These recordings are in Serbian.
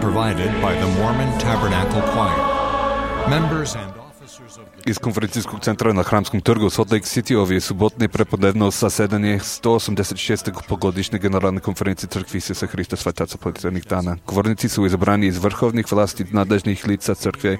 provided by the Mormon Tabernacle Choir. Members and officers of the... Iz konferencijskog centra na Hramskom trgu u Salt Lake City ovo je subotne prepodnevno zasedanje 186. pogodišnje generalne konferencije Crkve Isusa Hrista Svetaca Pletvenih dana. Govornici su izabrani iz vrhovnih vlasti nadležnih lica Crkve.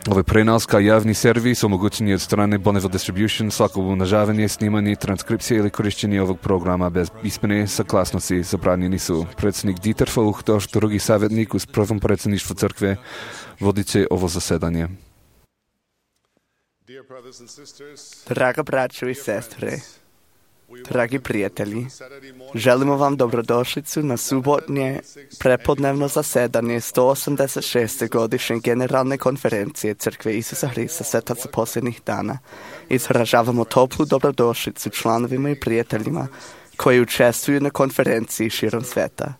Ovaj prenos kao javni servis omogućen je od strane Bonneville Distribution. Svako umnožavanje, snimanje, transkripcije ili korišćenje ovog programa bez pismene saglasnosti zabranjeni su. Predsjednik Dieter Foucht, drugi savjetnik uz prvom predsjedništvu Crkve, vodit će ovo zasedanje. Draga braćo i sestre, dragi prijatelji, želimo vam dobrodošlicu na subotnje prepodnevno zasedanje 186. godišnje generalne konferencije Crkve Isusa Hrista Svetaca posljednjih dana. Izražavamo toplu dobrodošlicu članovima i prijateljima koji učestvuju na konferenciji širom sveta.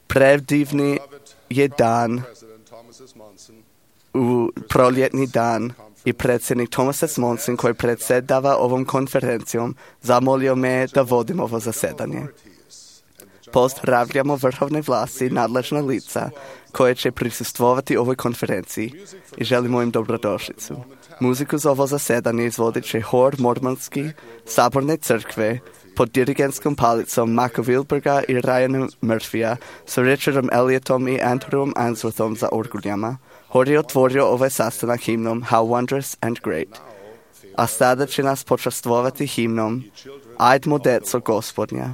Predivni je dan u proljetni dan i predsjednik Thomas S. Monson, koji predsjedava ovom konferencijom, zamolio me da vodim ovo zasedanje. Pozdravljamo vrhovne vlasti i nadležna lica koje će prisustvovati ovoj konferenciji i želimo im dobrodošlicu. Muziku za ovo zasedanje izvodit će hor mormonski saborne crkve pod dirigentskom palicom Maka Wilberga i Ryana Murphya sa Richardom Elliotom i Andrewom Answorthom za orguljama. Hor je otvorio ovaj sastanak himnom How Wondrous and Great. A sada će nas počastvovati himnom Ajdmo deco Gospodnja.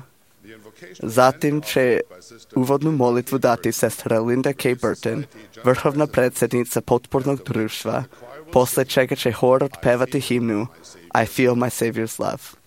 Zatim će uvodnu molitvu dati sestra Linda K. Burton, vrhovna predsjednica potpornog društva, posle čega će hor otpevati himnu I Feel My Savior's Love.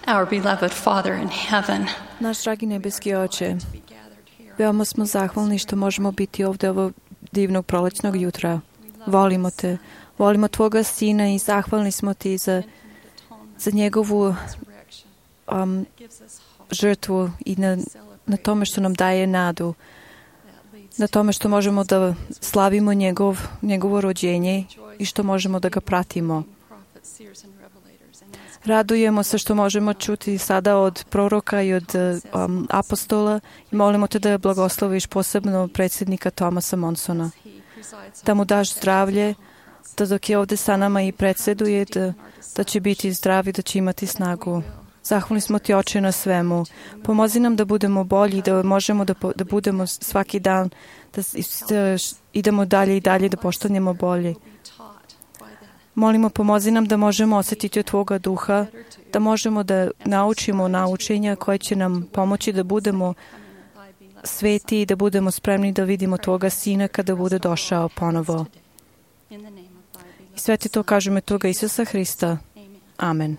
Our beloved Father in heaven. Naš dragi nebeski Oče, veoma smo zahvalni što možemo biti ovdje ovog divnog prolećnog jutra. Volimo te, volimo Tvoga Sina i zahvalni smo Ti za njegovu žrtvu i na tome što nam daje nadu, na tome što možemo da slavimo njegovo rođenje i što možemo da ga pratimo. Radujemo se što možemo čuti sada od proroka i od apostola i molimo te da blagosloviš posebno predsjednika Thomasa Monsona. Da mu daš zdravlje da dok je ovdje sa nama i predsjeduje, da će biti zdravi, da će imati snagu. Zahvalni smo ti, Oče, na svemu. Pomozi nam da budemo bolji, da možemo da budemo svaki dan, da idemo dalje i dalje, da postanemo bolji. Molimo, pomozi nam da možemo osjetiti od Tvoga duha, da možemo da naučimo naučenja koje će nam pomoći da budemo sveti i da budemo spremni da vidimo Tvoga Sina kada bude došao ponovo. I sve ti to kažemo Toga Isusa Hrista. Amen.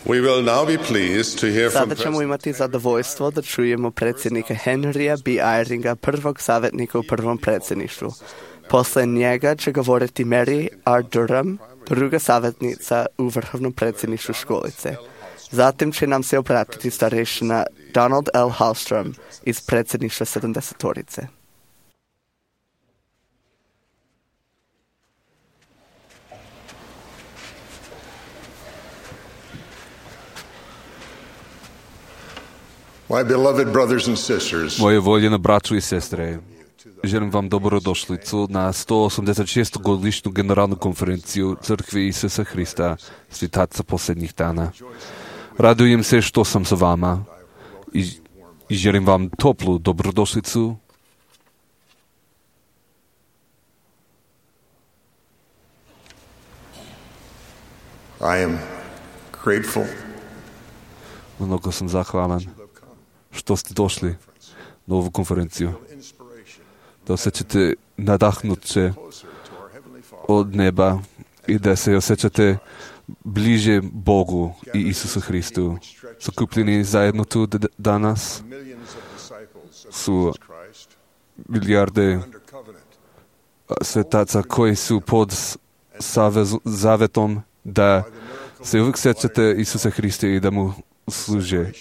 We will now be pleased to hear from Sada ćemo imati zadovoljstvo da čujemo predsjednika Henrya B. Eyringa, prvog savjetnika u prvom predsjedništvu. Posle njega će govoriti Mary R. Durham, druga savjetnica u vrhovnom predsjedništvu školice. Zatim će nam se obratiti starešina Donald L. Hallstrom iz predsjedništva 70-torice. My beloved brothers and sisters, Moje voljene braćo i sestre, želim vam dobrodošlicu na 186. godišnju generalnu konferenciju Crkve Isusa Hrista, svjetaca posljednjih dana. Radujem se što sam sa vama i želim vam toplu dobrodošlicu. I am grateful Mnogo sam zahvalan što ste došli na ovu konferenciju. Da osjećate nadahnuće od neba i da se osjećate bliže Bogu i Isusu Hristu. Sakupljeni zajedno tu danas su milijarde svetaca koji su pod zavetom da se uvijek sjećate Isusa Hrista i da mu služe.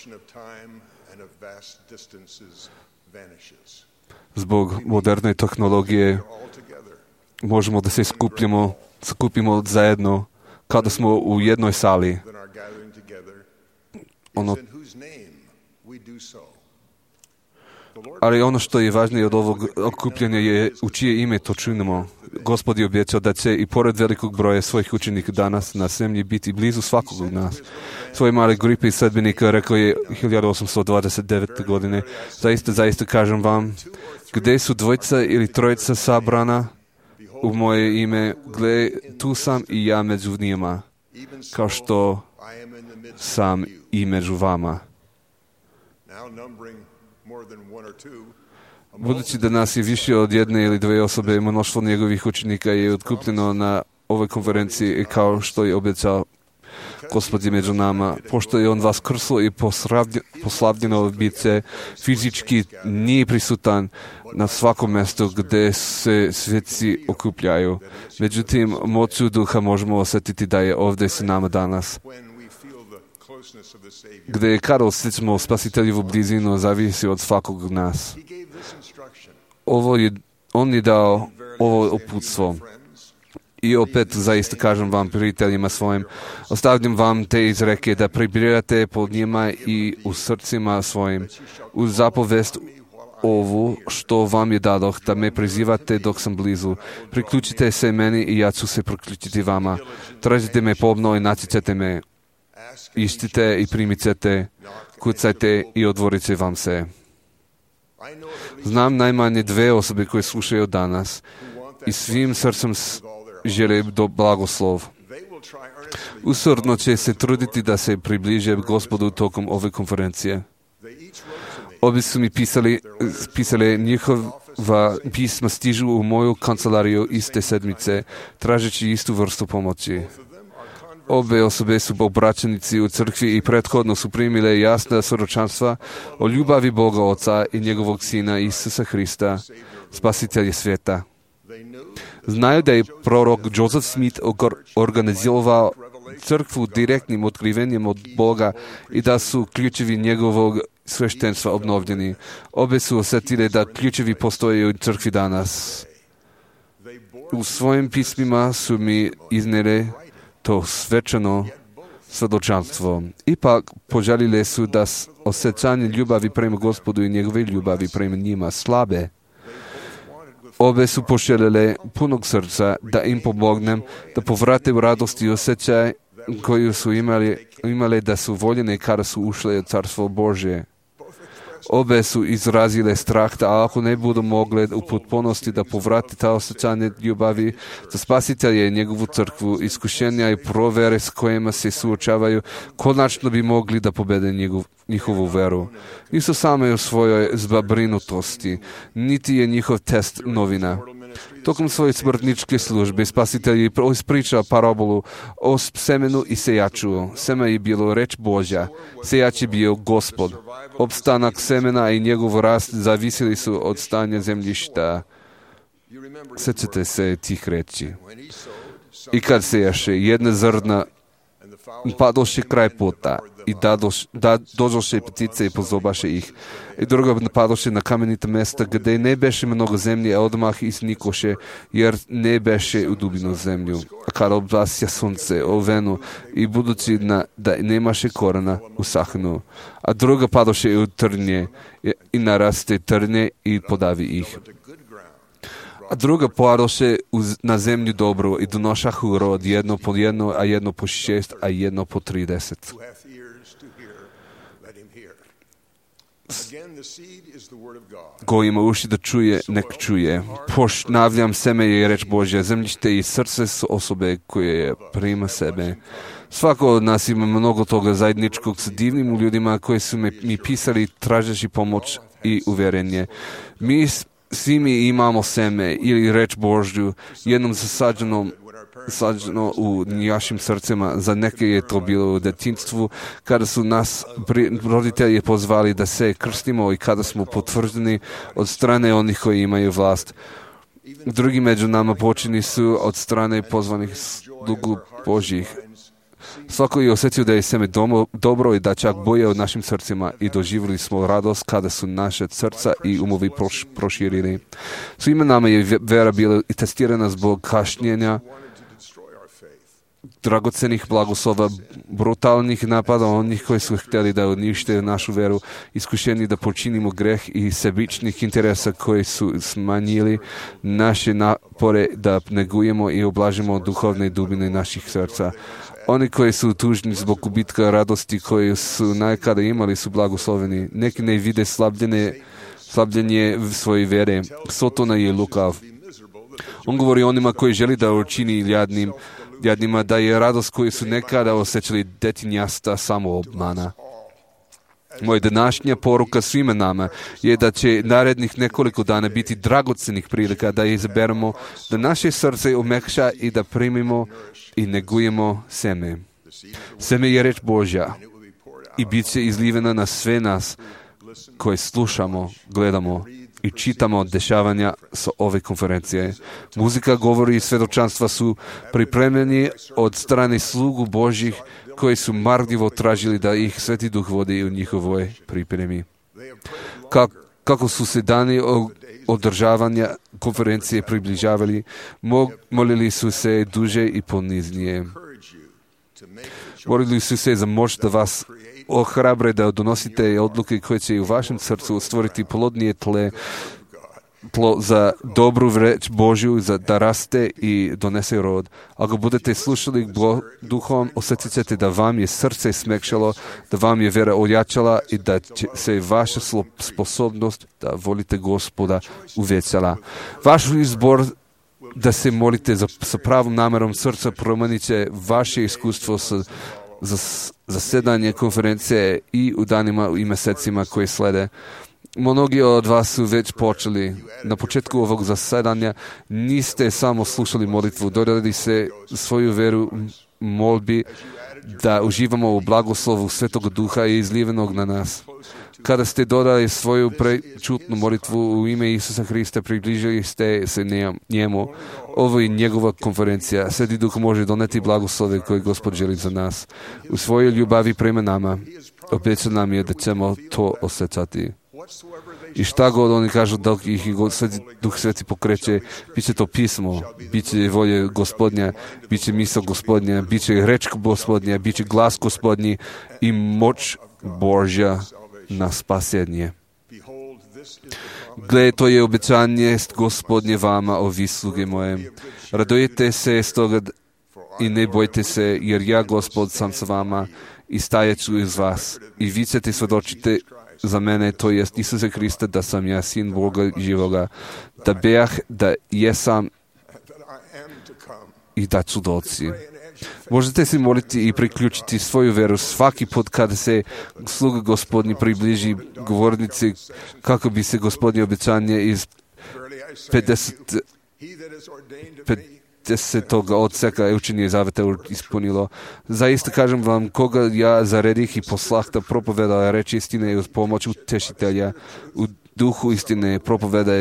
Zbog moderne tehnologije možemo da se skupimo zajedno kada smo u jednoj sali. Ali ono što je važnije od ovog okupljanja je u čije ime to činimo. Gospod je obećao da će i pored velikog broja svojih učenika danas na zemlji biti blizu svakog od nas. Svoje male grupe sledbenika rekao je 1829. godine, zaista kažem vam, gdje su dvojica ili trojica sabrana u moje ime, gle, tu sam i ja među njima, kao što sam i među vama. Budući da nas je više od jedne ili dve osobe, mnoštvo njegovih učenika je otkupljeno na ovoj konferenciji i kao što je obećao Gospod je među nama. Pošto je on vas krslo i poslavljeno biće, fizički nije prisutan na svakom mjestu gdje se sveci okupljaju. Međutim, moću duha možemo osjetiti da je ovdje s nama danas. Gdje kada osjećamo spasiteljevu blizinu, zavisi od svakog od nas. On je dao ovo uputstvo. I opet zaista kažem vam, prijateljima svojim, ostavljam vam te izreke da pribirate pod njima i u srcima svojim. Uz zapovest ovu što vam je dadoh, da me prizivate dok sam blizu. Priključite se meni i ja ću se priključiti vama. Tražite me pomno i naći ćete me. Ištite i primit ćete, kucajte i otvorit će vam se. Znam najmanje dve osobe koje slušaju danas i svim srcem žele do blagoslov. Usorno će se truditi da se približe Gospodu tokom ove konferencije. Obi su mi pisali njihova pisma stižu u moju kancelariju iste sedmice, tražeći istu vrstu pomoći. Obe osobe su obraćenici u crkvi i prethodno su primile jasna svjedočanstva o ljubavi Boga Oca i njegovog Sina Isusa Hrista, spasitelja svijeta. Znaju da je prorok Joseph Smith organizirao crkvu direktnim otkrivenjem od Boga i da su ključevi njegovog sveštenstva obnovljeni. Obe su osjetile da ključevi postoje u crkvi danas. U svojim pismima su mi iznijeli to svečano svjedočanstvo. Ipak požalile su da osjećanje ljubavi prema Gospodu i njegove ljubavi prema njima slabe. Obe su poželjele punog srca da im pomognem da povrate u radost i osjećaj koju su imale da su voljene kada su ušle u Carstvo Božje. Obe su izrazile strah da ako ne budu mogle u potpunosti da povrate ta osjećanje ljubavi za spasitelja i njegovu crkvu, iskušenja i provere s kojima se suočavaju, konačno bi mogli da pobede njihovu veru. Nisu same u svojoj zabrinutosti, niti je njihov test novina. Tokom svoje smrtničke službe spasitelj je ispričao parabolu o semenu i sejaču. Seme je bilo reč Božja, sejač je bio Gospod. Opstanak semena i njegov rast zavisili su od stanja zemljišta. Sjećate se tih reči. I kad sejaše, jedna zrna padoše kraj puta i dođoše ptice i pozobaše ih. I druga napadoše na kamenita mesta gdje ne beše mnogo zemlje, a odmah iznikoše, jer ne beše u dubinu zemlju. A kada oblasja sunce, ovenu i budući da nemaše korena, usahnu. A druga padoše u trnje i naraste trnje i podavi ih. a druga pojadoše na zemlju dobro i donošahu rod, jedno po jedno, a jedno po 6, a jedno po 30. Ko ima uši da čuje, nek čuje. Ponavljam, seme je reč Božja, zemljište i srce su osobe koje prima sebe. Svako od nas ima mnogo toga zajedničkog sa divnim ljudima koji su mi pisali tražeći pomoć i uvjerenje. Svi mi imamo seme ili reč Božju, jednom zasađeno u našim srcima. Za neke je to bilo u djetinjstvu, kada su nas roditelji pozvali da se krstimo i kada smo potvrđeni od strane onih koji imaju vlast. Drugi među nama počini su od strane pozvanih slugu Božjih. Svako je osjetio da je seme dobro i da čak boje od našim srcima i doživjeli smo radost kada su naše srca i umovi proširili. Svima nama je vera bila i testirana zbog kašnjenja, dragocenih blagoslova, brutalnih napada onih koji su htjeli da unište našu veru, iskušeni da počinimo greh i sebičnih interesa koji su smanjili naše napore da negujemo i oblažimo duhovne dubine naših srca. Oni koji su tužni zbog gubitka radosti koji su nekada imali su blagosloveni. Neki ne vide slabljenje svoje vere. Sotona je lukav. On govori onima koji želi da učini jadnima da je radost koju su nekada osjećali detinjasta samo obmana. Moja današnja poruka svima nama je da će narednih nekoliko dana biti dragocenih prilika da izaberemo, da naše srce omekša i da primimo i negujemo seme. Seme je reč Božja i bit će izlivena na sve nas koji slušamo, gledamo i čitamo dešavanja sa ove konferencije. Muzika, govori i svjedočanstva su pripremljeni od strane slugu Božjih koji su marljivo tražili da ih Sveti Duh vodi u njihovoj pripremi. Kako su se dani održavanja konferencije približavali, molili su se duže i poniznije. Molili su se za moć da vas ohrabre da donosite odluke koje će u vašem srcu stvoriti plodnije tlo za dobru reč Božju, da raste i donese rod. Ako budete slušali duhom, osjetit ćete da vam je srce smekšalo, da vam je vera ojačala i da će se vaša sposobnost da volite Gospoda uvećala. Vaš izbor da se molite sa pravom namerom srca promenit će vaše iskustvo za zasedanje konferencije i u danima i mjesecima koje slede. Mnogi od vas su već počeli. Na početku ovog zasedanja niste samo slušali molitvu, dodali se svoju veru molbi da uživamo u blagoslovu Svetog Duha i izlivenog na nas. Kada ste dodali svoju prečutnu molitvu u ime Isusa Hrista, približili ste se njemu. Ovo je njegova konferencija. Sveti Duh može doneti blagoslove koje Gospod želi za nas. U svojoj ljubavi prema nama obeća nam je da ćemo to osjećati. I šta god oni kažu, dok ih Duh Sveti pokreće, bit će to pismo, bit će volje Gospodnja, bit će misao Gospodnja, bit će reč Gospodnja, bit će glas Gospodnji i moć Božja na spasenje. Gle, to je obećanje Gospodnje vama, ovi sluge moje. Radujete se s toga i ne bojte se, jer ja, Gospod, sam sa vama i stajeću iz vas. I vi ćete svjedočiti za mene, to jest Isusa Hrista, da sam ja sin Boga živoga, da bejah, da jesam i da ću doći. Možete se moliti i priključiti svoju veru svaki put kada se sluga Gospodnji približi govornici, kako bi se Gospodnje obećanje iz 50. odseka učenje zaveta ispunilo. Zaista kažem vam, koga ja zaredih i poslah da propoveda reč istine i uz pomoć utešitelja u duhu istine propoveda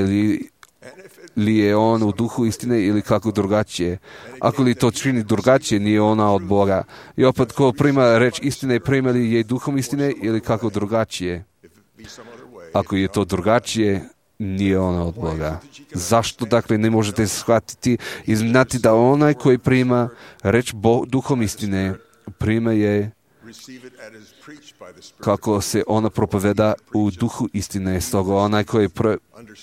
li je on u duhu istine ili kako drugačije. Ako li to čini drugačije, nije ona od Boga. I opet, ko prima reč istine, prima li je duhom istine ili kako drugačije? Ako je to drugačije, nije ona od Boga. Zašto, dakle, ne možete shvatiti i znati da onaj koji prima reč duhom istine, prima je kako se ona propoveda u duhu istine. Stoga onaj koji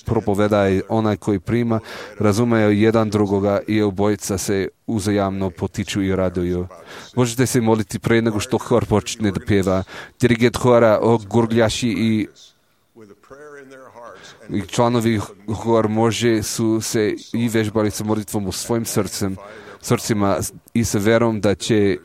propoveda i onaj koji prima razumeju jedan drugoga i obojica se uzajamno potiču i raduju. Možete se moliti pre nego što hor počne da pjeva. Dirigent hora, gurgljaši i članovi hor može su se i vežbali sa molitvom u svojim srcima i sa verom da će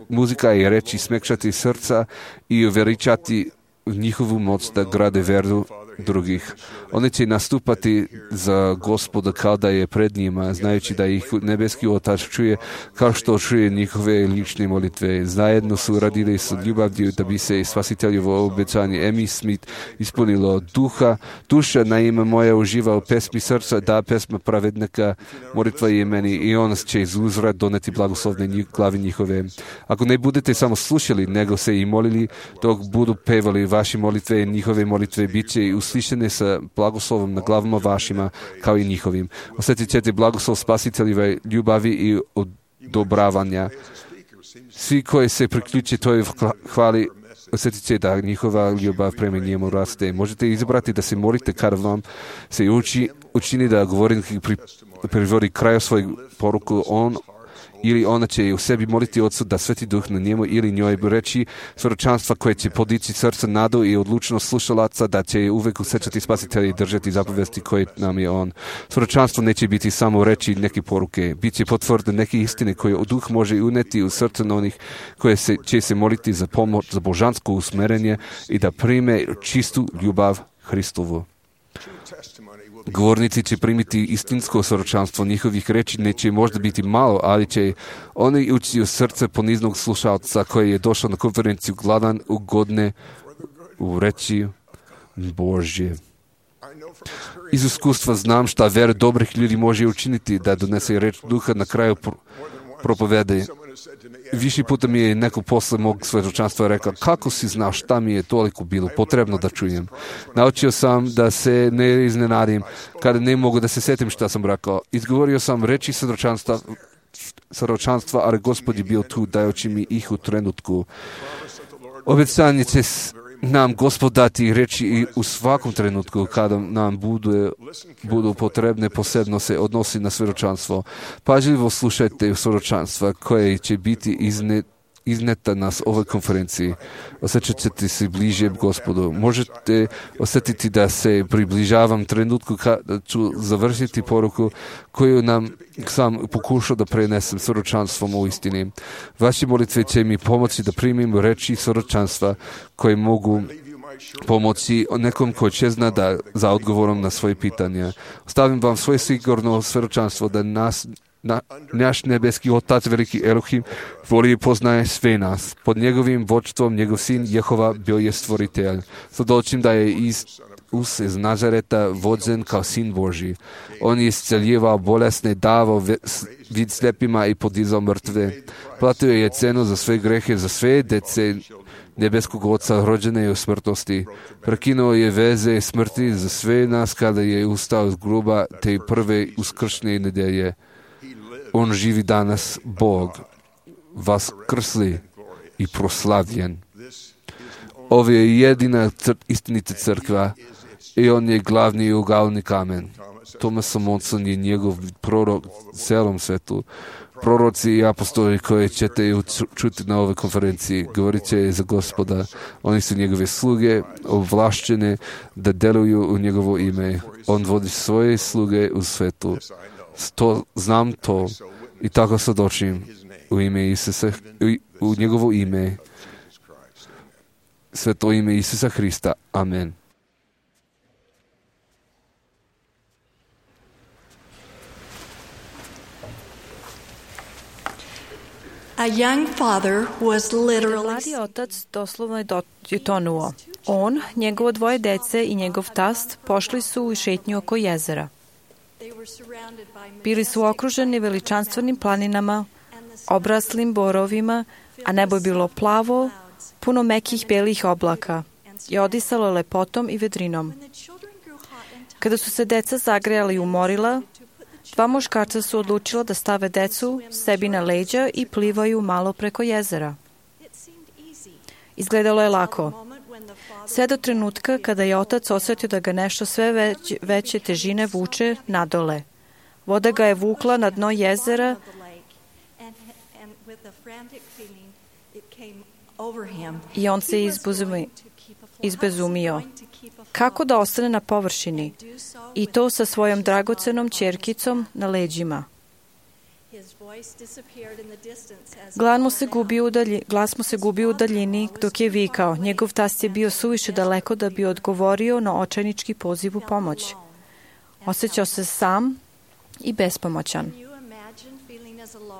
muzika i reči smekšati srca i uveličati njihovu moć da grade veru drugih. Oni će nastupati za Gospoda kao da je pred njima, znajući da ih nebeski Otac čuje kao što čuje njihove lične molitve. Zajedno su radili sa ljubavlju da bi se spasiteljevo obećanje Amy Smith ispunilo. Duša naime moja uživa u pesmi srca, da pesma pravednika, molitva je meni i on će iz uzvrat doneti blagoslovne glavi njihove. Ako ne budete samo slušali, nego se i molili, dok budu pevali vaše molitve i njihove molitve, bit će i uslišene sa blagoslovom na glavama vašima, kao i njihovim. Osjetit ćete blagoslov spasiteljeve ljubavi i odobravanja. Svi koji se priključe toj hvali, osjetit će da njihova ljubav prema njemu raste. Možete izabrati da se molite kada vam se učini da govornik privodi kraju svojeg poruku, on ili ona će u sebi moliti Otcu da Sveti Duh na njemu ili njoj reći svjedočanstva koje će podići srce, nadu i odlučnost slušalaca da će uvek usjećati spasitelja i držati zapovesti koje nam je on. Svjedočanstvo neće biti samo reći neke poruke, bit će potvrde neke istine koje Duh može uneti u srce onih koje će se moliti za pomoć, za božansko usmerenje i da prime čistu ljubav Hristovu. Govornici će primiti istinsko svjedočanstvo njihovih reči, neće možda biti malo, ali će oni ući u srce poniznog slušalca koji je došao na konferenciju gladan, ugodne u reči Božje. Iz iskustva znam šta vera dobrih ljudi može učiniti da donese reč Duha na kraju propovede. Više puta mi je neko posle mog svjedočanstva rekao, kako si znao šta mi je toliko bilo potrebno da čujem. Naučio sam da se ne iznenadim kada ne mogu da se setim šta sam rekao. Izgovorio sam reči svjedočanstva, ali Gospod je bio tu dajući mi ih u trenutku. Obećanje će nam Gospod dati reći i u svakom trenutku kada nam budu potrebne, posebno se odnosi na svjedočanstvo. Pažljivo slušajte svjedočanstva koje će biti izneta na ovoj konferenciji. Osjećat ćete se bliže Gospodu. Možete osjetiti da se približavam trenutku kada ću završiti poruku koju nam sam pokušao da prenesem svjedočanstvom u istini. Vaše molitve će mi pomoći da primim reči svjedočanstva koje mogu pomoći nekom koji će zna da za odgovorom na svoje pitanja. Ostavim vam svoje sigurno svjedočanstvo da naš nebeski Otac, veliki Elohim, voli i poznaje sve nas. Pod njegovim vođstvom njegov sin Jehova bio je stvoritelj. Svjedočim da je Isus iz Nazareta vođen kao sin Božji. On je isceljivao bolesne, davao vid slepima i podizao mrtve. Platio je cenu za sve grehe, za sve dece nebeskog Oca rođene u smrtnosti. Prekinuo je veze smrti za sve nas kada je ustao iz groba te prve uskršnje nedelje. On živi danas, Bog, vaskrsli i proslavljen. Ovo je jedina istinita crkva i on je glavni ugalni kamen. Thomas Monson je njegov prorok celom svetu. Proroci i apostoli koje ćete čuti na ovoj konferenciji govorit će za Gospoda. Oni su njegove sluge, ovlašćene da deluju u njegovo ime. On vodi svoje sluge u svetu. Znam to i tako svjedočim u ime Isusa, u njegovo ime, sveto ime Isusa Hrista. Amen. A young father was literally... Mladi otac doslovno je tonuo. On, njegovo dvoje dece i njegov tast pošli su u šetnju oko jezera. Bili su okruženi veličanstvenim planinama, obraslim borovima, a nebo je bilo plavo, puno mekih belih oblaka i odisalo lepotom i vedrinom. Kada su se deca zagrejali i umorila, dva muškarca su odlučila da stave decu sebi na leđa i plivaju malo preko jezera. Izgledalo je lako. Sve do trenutka kada je otac osjetio da ga nešto sve veće težine vuče nadole. Voda ga je vukla na dno jezera i on se izbezumio. Kako da ostane na površini? I to sa svojom dragocenom ćerkicom na leđima. Glas mu se gubi u daljini dok je vikao. Njegov tast je bio suviše daleko da bi odgovorio na očajnički poziv u pomoć. Osjećao se sam i bespomoćan.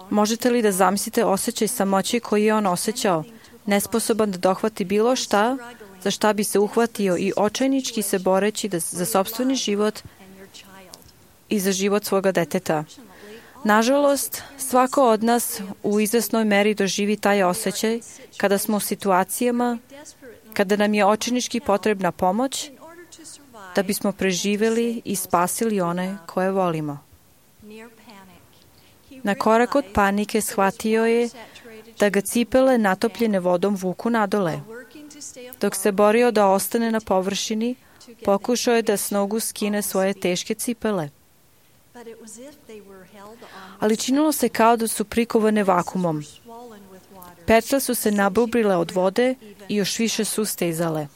Možete li da zamislite osjećaj samoći koji je on osjećao, nesposoban da dohvati bilo šta, za šta bi se uhvatio i očajnički se boreći za sopstveni život i za život svoga deteta? Nažalost, svako od nas u izvesnoj meri doživi taj osjećaj kada smo u situacijama kada nam je očajnički potrebna pomoć da bismo preživjeli i spasili one koje volimo. Na korak od panike shvatio je da ga cipele natopljene vodom vuku nadole. Dok se borio da ostane na površini, pokušao je da s nogu skine svoje teške cipele. Ali činilo se kao da su prikovane vakumom. Petle su se nabubrile od vode i još više su stezale.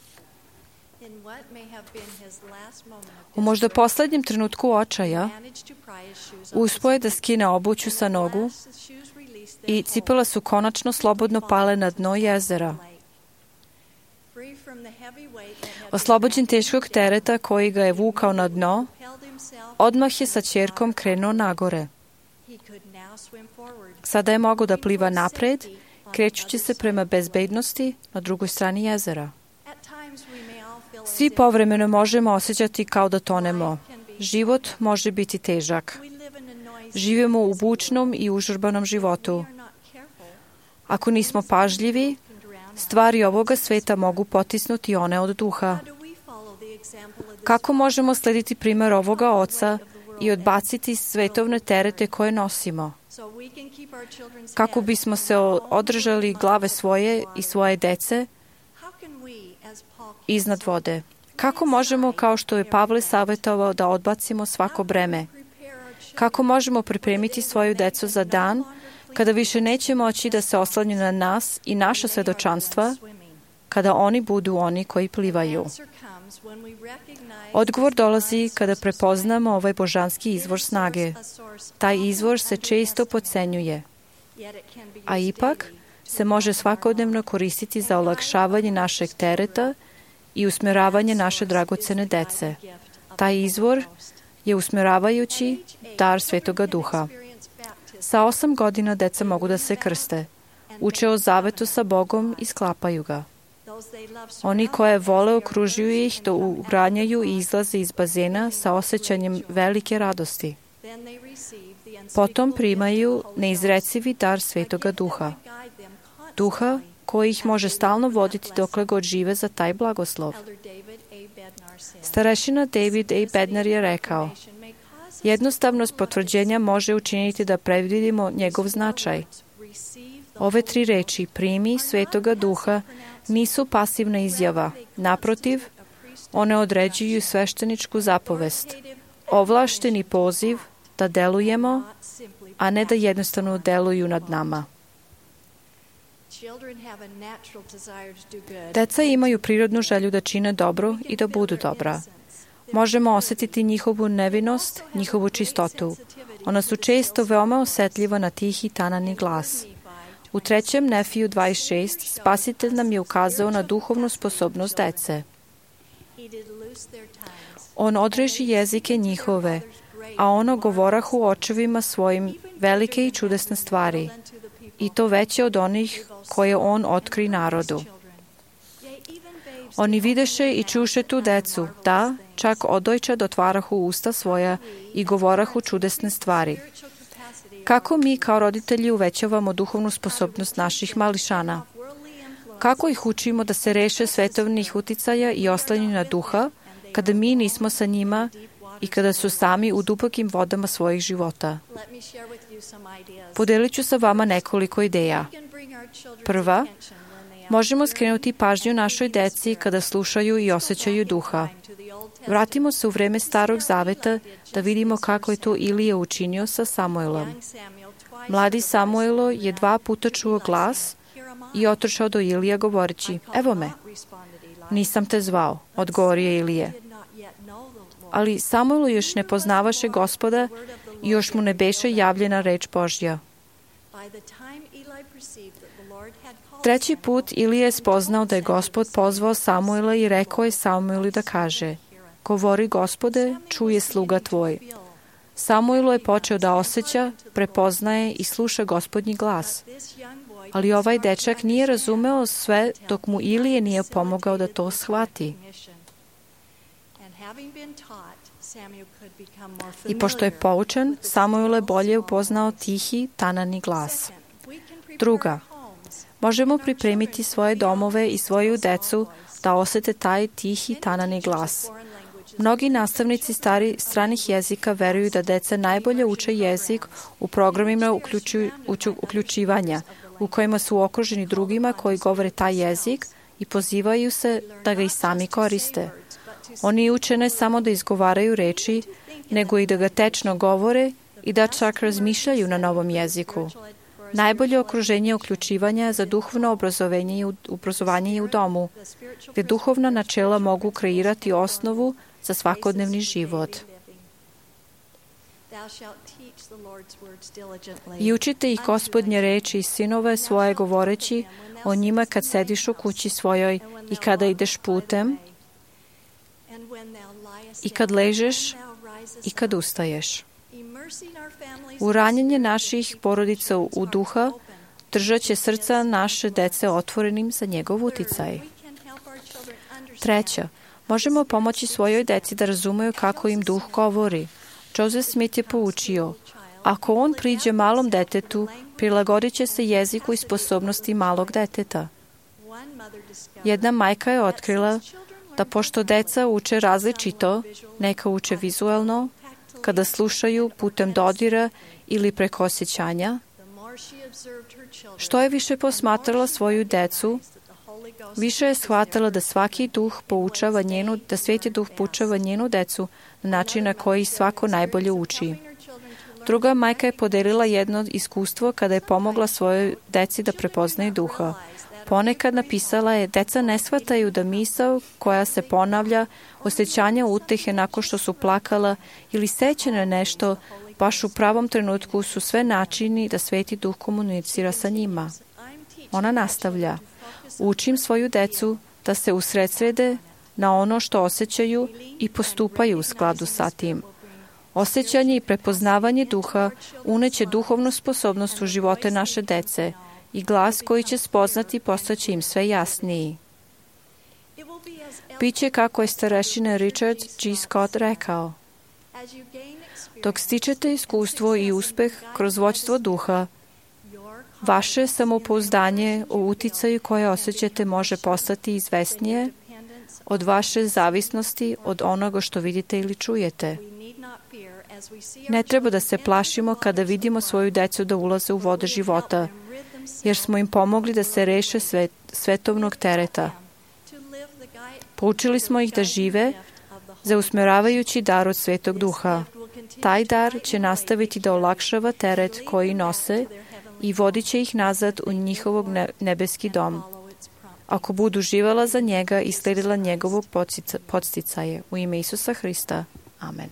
U možda poslednjem trenutku očaja uspio je da skine obuću sa nogu i cipele su konačno slobodno pale na dno jezera. Oslobođen teškog tereta koji ga je vukao na dno, odmah je sa ćerkom krenuo nagore. Sada je mogao da pliva napred, krećući se prema bezbednosti na drugoj strani jezera. Svi povremeno možemo osjećati kao da tonemo. Život može biti težak. Živimo u bučnom i užurbanom životu. Ako nismo pažljivi, stvari ovoga sveta mogu potisnuti one od duha. Kako možemo slediti primjer ovoga oca i odbaciti svetovne terete koje nosimo? Kako bismo se održali glave svoje i svoje dece iznad vode? Kako možemo, kao što je Pavle savjetovao, da odbacimo svako breme? Kako možemo pripremiti svoju decu za dan kada više neće moći da se oslanju na nas i naša svedočanstva, kada oni budu oni koji plivaju? Odgovor dolazi kada prepoznamo ovaj božanski izvor snage. Taj izvor se često podcenjuje, a ipak se može svakodnevno koristiti za olakšavanje našeg tereta i usmjeravanje naše dragocene dece. Taj izvor je usmjeravajući dar Svetoga Duha. Sa 8 godina deca mogu da se krste, uče o zavetu sa Bogom i sklapaju ga. Oni koje vole okružuju ih da uranjaju i izlaze iz bazena sa osjećanjem velike radosti. Potom primaju neizrecivi dar Svetoga Duha. Duha koji ih može stalno voditi dokle god žive za taj blagoslov. Starešina David A. Bednar je rekao: jednostavnost potvrđenja može učiniti da predvidimo njegov značaj. Ove 3 reči, primi Svetoga Duha, nisu pasivna izjava. Naprotiv, one određuju svešteničku zapovest, ovlašteni poziv da delujemo, a ne da jednostavno deluju nad nama. Deca imaju prirodnu želju da čine dobro i da budu dobra. Možemo osjetiti njihovu nevinost, njihovu čistotu. Ona su često veoma osjetljiva na tihi tanani glas. U 3. Nefiju 26 Spasitelj nam je ukazao na duhovnu sposobnost dece. On odreži jezike njihove, a ono govorahu očevima svojim velike i čudesne stvari, i to veće od onih koje on otkri narodu. Oni videše i čuše tu decu, da, čak odojčad otvarahu usta svoja i govorahu čudesne stvari. Kako mi kao roditelji uvećavamo duhovnu sposobnost naših mališana? Kako ih učimo da se reše svetovnih uticaja i oslanju na duha, kada mi nismo sa njima i kada su sami u dubokim vodama svojih života? Podelit ću sa vama nekoliko ideja. Prva, Možemo skrenuti pažnju našoj deci kada slušaju i osjećaju duha. Vratimo se u vreme Starog Zaveta da vidimo kako je to Ilija učinio sa Samuelom. Mladi Samuelo je 2 puta čuo glas i otrčao do Ilija govoreći: "Evo me." "Nisam te zvao," odgovorio Ilije. Ali Samuel još ne poznavaše Gospoda i još mu ne beše javljena reč Božja. 3. put Ilija je spoznao da je Gospod pozvao Samuela i rekao je Samuelu da kaže: "Govori, Gospode, čuje sluga tvoj." Samuelu je počeo da osjeća, prepoznaje i sluša Gospodnji glas. Ali ovaj dečak nije razumeo sve dok mu Ilije nije pomogao da to shvati. I pošto je poučen, Samuel je bolje upoznao tihi, tanani glas. 2. Možemo pripremiti svoje domove i svoju decu da osete taj tihi, tanani glas. Mnogi nastavnici stranih jezika veruju da deca najbolje uče jezik u programima uključivanja, u kojima su okruženi drugima koji govore taj jezik i pozivaju se da ga i sami koriste. Oni uče ne samo da izgovaraju reči, nego i da ga tečno govore i da čak razmišljaju na novom jeziku. Najbolje okruženje uključivanja za duhovno obrazovanje je u domu, gde duhovna načela mogu kreirati osnovu za svakodnevni život. I učite ih Gospodnje reči i sinove svoje govoreći o njima kad sediš u kući svojoj i kada ideš putem i kad ležeš i kad ustaješ. Uranjenje naših porodica u duha držat će srca naše dece otvorenim za njegov uticaj. 3. Možemo pomoći svojoj deci da razumeju kako im duh govori. Joseph Smith je poučio: ako on priđe malom detetu, prilagodit će se jeziku i sposobnosti malog deteta. Jedna majka je otkrila da pošto deca uče različito, neka uče vizuelno, kada slušaju putem dodira ili preko osjećanja, što je više posmatrala svoju decu, više je shvatila da svaki duh poučava da Sveti Duh poučava njenu decu na način na koji svako najbolje uči. Druga majka je podelila jedno iskustvo kada je pomogla svojoj deci da prepoznaju duha. Ponekad napisala je: deca ne shvataju da misao koja se ponavlja, osjećanja utehe nakon što su plakala ili sećane nešto, baš u pravom trenutku su sve načini da Sveti Duh komunicira sa njima. Ona nastavlja: učim svoju decu da se usredsrede na ono što osjećaju i postupaju u skladu sa tim. Osjećanje i prepoznavanje duha uneće duhovnu sposobnost u živote naše dece i glas koji će spoznati postaće im sve jasniji. Biće kako je starešina Richard G. Scott rekao: dok stičete iskustvo i uspeh kroz vođstvo duha, vaše samopouzdanje o uticaju koje osjećate može postati izvesnije od vaše zavisnosti od onoga što vidite ili čujete. Ne treba da se plašimo kada vidimo svoju decu da ulaze u vode života, jer smo im pomogli da se reše svetovnog tereta. Poučili smo ih da žive za usmeravajući dar od Svetog Duha. Taj dar će nastaviti da olakšava teret koji nose i vodit će ih nazad u njihovog nebeski dom, ako budu živala za njega i sledila njegovog podsticaje. U ime Isusa Hrista. Amen.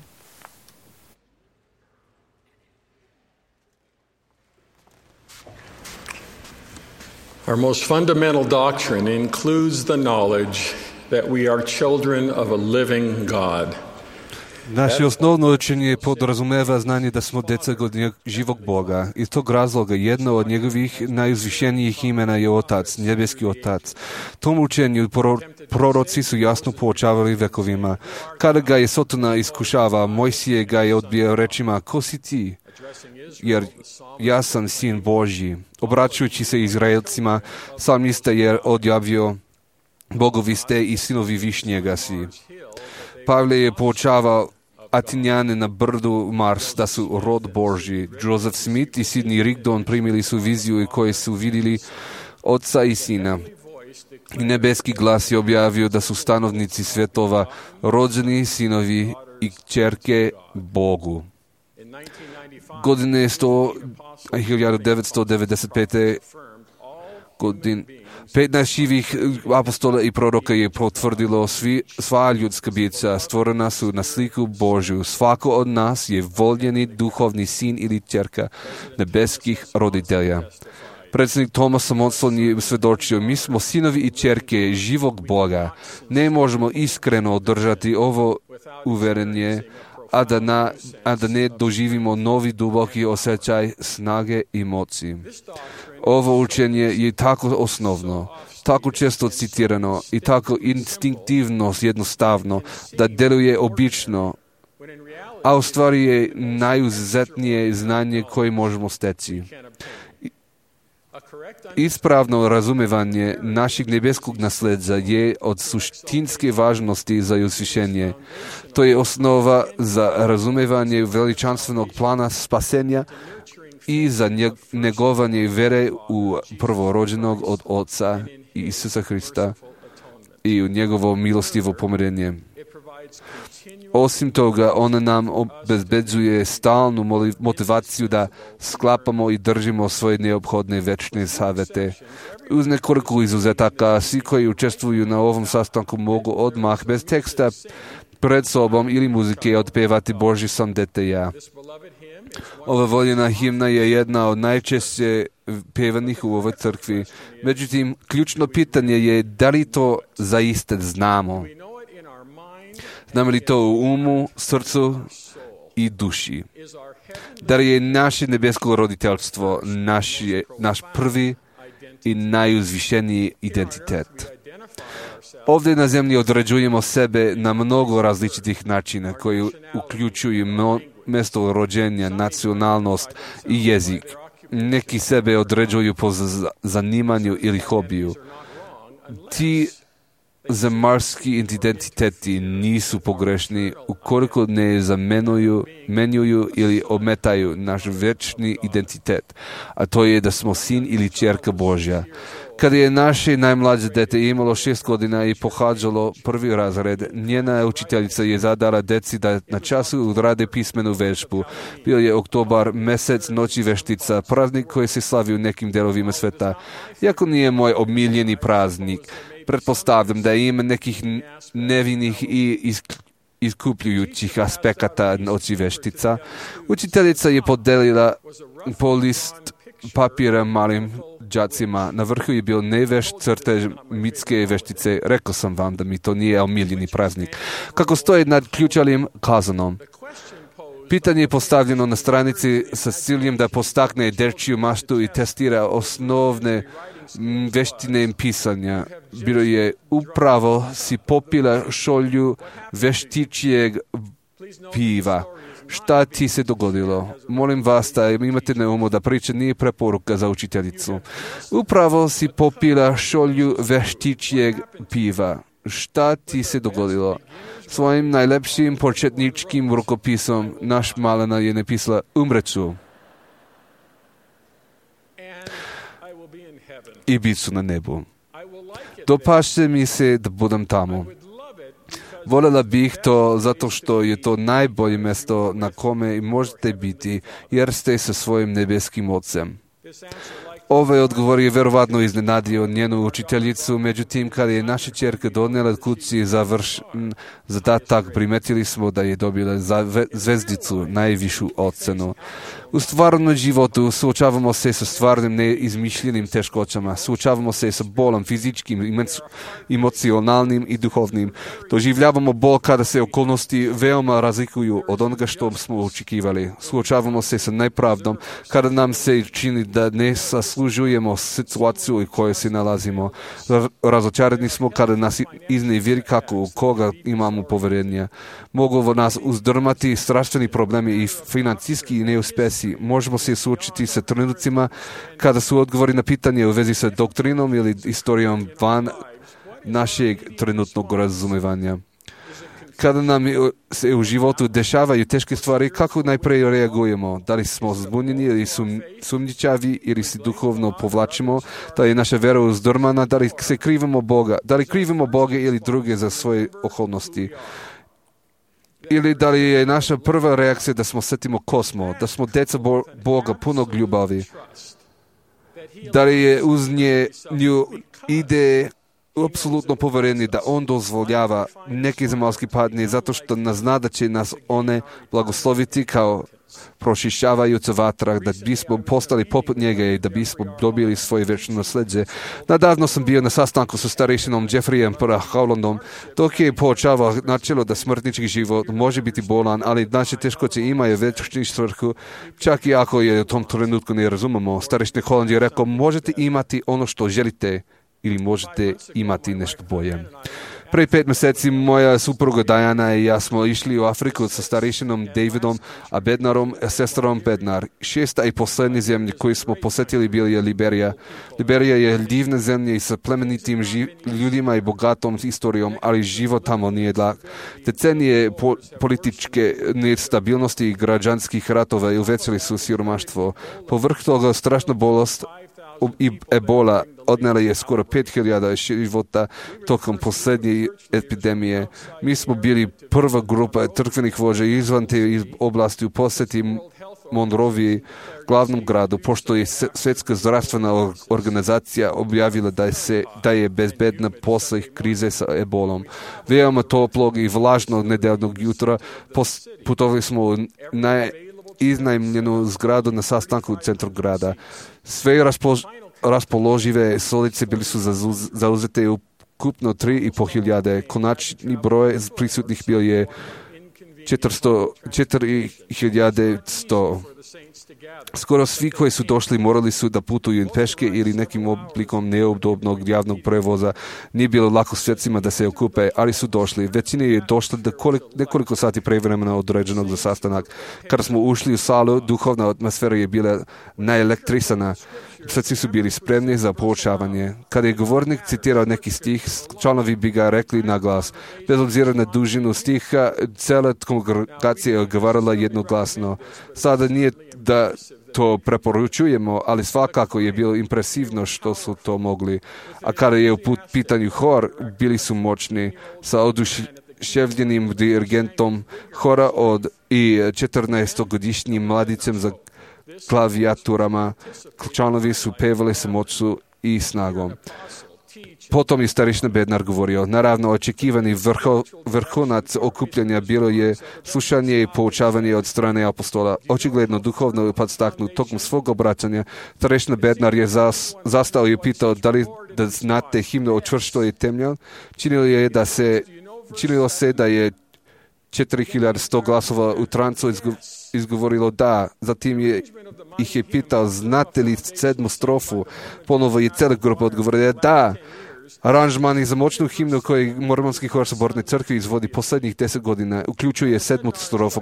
Our most fundamental doctrine includes the knowledge that we are children of a living God. Naše osnovno učenje podrazumeva znanje da smo deca živog Boga. Iz tog razloga jedno od njegovih najuzvišenijih imena je Otac, nebeski Otac. Tom učenju proroci su jasno poučavali vekovima. Kada ga je Sotona iskušava, Mojsije ga je odbijao rečima: ko si ti? Jer ja sam sin Božji. Obraćajući se Izraelcima, psalmista je odjavio: Bogovi ste i sinovi Višnjega si. Pavle je poučavao Atinjane na brdu Mars da su rod Božji. Joseph Smith i Sidney Rigdon primili su viziju i koje su vidjeli Oca i Sina. I nebeski glas je objavio da su stanovnici svjetova rođeni sinovi i kćerke Bogu. Godine 1995. godine 15 živih apostola i proroka je potvrdilo sva ljudska bića stvorena su na sliku Božju. Svako od nas je voljeni duhovni sin ili kćerka nebeskih roditelja. Predsjednik Thomas Monson je svjedočio, mi smo sinovi i kćerke živog Boga. Ne možemo iskreno održati ovo uvjerenje, a da ne doživimo novi duboki osjećaj snage i moći. Ovo učenje je tako osnovno, tako često citirano i tako instinktivno jednostavno da djeluje obično, a u stvari je najuzetnije znanje koje možemo steći. Ispravno razumevanje našeg nebeskog nasljeđa je od suštinske važnosti za uzvišenje. To je osnova za razumevanje veličanstvenog plana spasenja i za negovanje vere u prvorođenog od Oca Isusa Hrista i u njegovo milostivo pomirenje. Osim toga, ona nam obezbeđuje stalnu motivaciju da sklapamo i držimo svoje neophodne večne savjete. Uz nekoliko izuzetaka, svi koji učestvuju na ovom sastanku mogu odmah bez teksta pred sobom ili muzike otpevati Božji sam dete ja. Ova voljena himna je jedna od najčešće pevanih u ovoj crkvi. Međutim, ključno pitanje je da li to zaista znamo. Znamo li to u umu, srcu i duši? Da li je naše nebesko roditeljstvo naš prvi i najuzvišeniji identitet? Ovdje na zemlji određujemo sebe na mnogo različitih načina koji uključuju mjesto rođenja, nacionalnost i jezik. Neki sebe određuju po zanimanju ili hobiju. Ti zemaljski identiteti nisu pogrešni ukoliko ne zamenjuju ili ometaju naš večni identitet, a to je da smo sin ili kćerka Božja. Kada je naše najmlađe dete imalo 6 godina i pohađalo prvi razred, njena učiteljica je zadala deci da na času odrade pismenu vežbu. Bio je oktobar, mjesec noći veštica, praznik koji se slavi u nekim delovima sveta. Iako nije moj omiljeni praznik, pretpostavljam da ima nekih nevinih i iskupljujućih aspekata noći veštica. Učiteljica je podelila po list papira malim đacima. Na vrhu je bio nevešt crtež mitske veštice. Rekao sam vam da mi to nije omiljeni praznik. Kako stoji nad ključalim kazanom. Pitanje je postavljeno na stranici sa ciljem da postakne dečiju maštu i testira osnovne veštine pisanja. Bilo je upravo si popila šolju veštičijeg piva. Šta ti se dogodilo? Molim vas da imate na umu da priča nije preporuka za učiteljicu. Upravo si popila šolju veštičijeg piva. Šta ti se dogodilo? Svojim najlepšim početničkim rukopisom naš malena je napisala umreću i bit ću na nebu. Dopašće mi se da budem tamo. Voljela bih to zato što je to najbolje mjesto na kome možete biti, jer ste sa svojim nebeskim Ocem. Ovaj odgovor je verovatno iznenadio njenu učiteljicu, međutim, kada je naša ćerka donijela kući zadatak, primetili smo da je dobila zvezdicu, najvišu ocenu. U stvarnom životu suočavamo se sa stvarnim neizmišljenim teškoćama, suočavamo se sa bolom fizičkim, emocionalnim i duhovnim. Doživljavamo bol kada se okolnosti veoma razlikuju od onoga što smo očekivali. Suočavamo se sa nepravdom kada nam se čini da ne zaslužujemo situaciju u kojoj se nalazimo. Razočarani smo kada nas iznevjeri kako u koga imamo povjerenja. Mogu nas uzdrmati strašni problemi i financijski neuspjesi. Možemo se suočiti sa trenucima kada su odgovori na pitanje u vezi sa doktrinom ili istorijom van našeg trenutnog razumevanja. Kada nam se u životu dešavaju teške stvari, kako najprije reagujemo? Da li smo zbunjeni ili sumnjičavi ili se duhovno povlačimo? Da je naša vera uzdrmana? Da li se krivimo Boga? Da li krivimo Boga ili druge za svoje okolnosti? Ili da li je naša prva reakcija da smo setimo ko smo, da smo deca Boga punog ljubavi? Da li je uz nju ide apsolutno poverenje da on dozvoljava neki zemaljski padne zato što nas zna da će nas one blagosloviti kao prošišavajuća vatra, da bismo postali poput njega i da bismo dobili svoje večno nasljeđe. Nadavno sam bio na sastanku sa starišinom Jeffreyem Howlandom, dok je poučavao načelo da smrtnički život može biti bolan, ali naše teškoće imaju večnu svrhu, čak i ako je u tom trenutku ne razumemo. Starišin Howland je rekao, možete imati ono što želite ili možete imati nešto bolje. Prije 5 mjeseci moja supruga Diana i ja smo išli u Afriku sa starišinom Davidom a Bednarom, sestrom Bednar. 6. i posljednji zemlji koju smo posjetili bili je Liberija. Liberija je divna zemlja i sa plemenitim ljudima i bogatom historijom, ali život tamo nije lak. Decenije političke nestabilnosti i građanskih ratova uvećali su siromaštvo. Povrh toga strašna bolest i ebola odnela je skoro 5.000 života tokom posljednje epidemije. Mi smo bili prva grupa crkvenih vođa izvan te oblasti u posjeti Monroviji, glavnom gradu, pošto je Svjetska zdravstvena organizacija objavila da je bezbedna posle krize sa ebolom. Veoma toplog i vlažnog nedeljnog jutra putovali smo u iznajmljenu zgradu na sastanku u centru grada. Sve raspoložive stolice bili su zauzete u ukupno 3.500. Konačni broj prisutnih bio je 4.100. Skoro svi koji su došli morali su da putuju peške ili nekim oblikom neudobnog javnog prevoza. Nije bilo lako svjetcima da se okupe, ali su došli. Većina je došla da nekoliko sati prevremena određenog za sastanak. Kada smo ušli u salu, duhovna atmosfera je bila naelektrisana. Srci su bili spremni za poučavanje. Kada je govornik citirao neki stih, članovi bi ga rekli na glas. Bez obzira na dužinu stiha, cela kongregacija je odgovarala jednoglasno. Sada nije da to preporučujemo, ali svakako je bilo impresivno što su to mogli. A kada je u pitanju hor, bili su moćni sa oduševljenim dirigentom hora i 14-godišnjim mladicem za klavijaturama. Članovi su pevali sa moću i snagom. Potom je starišina Bednar govorio, naravno očekivani vrhunac okupljanja bilo je slušanje i poučavanje od strane apostola. Očigledno duhovno podstaknut tokom svog obraćanja, starišina Bednar je zastao i pitao da znate himnu o čvrstoj temlji. Činilo se da je 4.100 glasova u trancu izgovorilo da. Zatim ih je pitao, znate li 7. strofu? Ponovo je cijela grupa odgovorila da. Aranžmani za moćnu himnu koji Mormonski hor Saborne crkve izvodi posljednjih 10 godina uključuje 7. strofu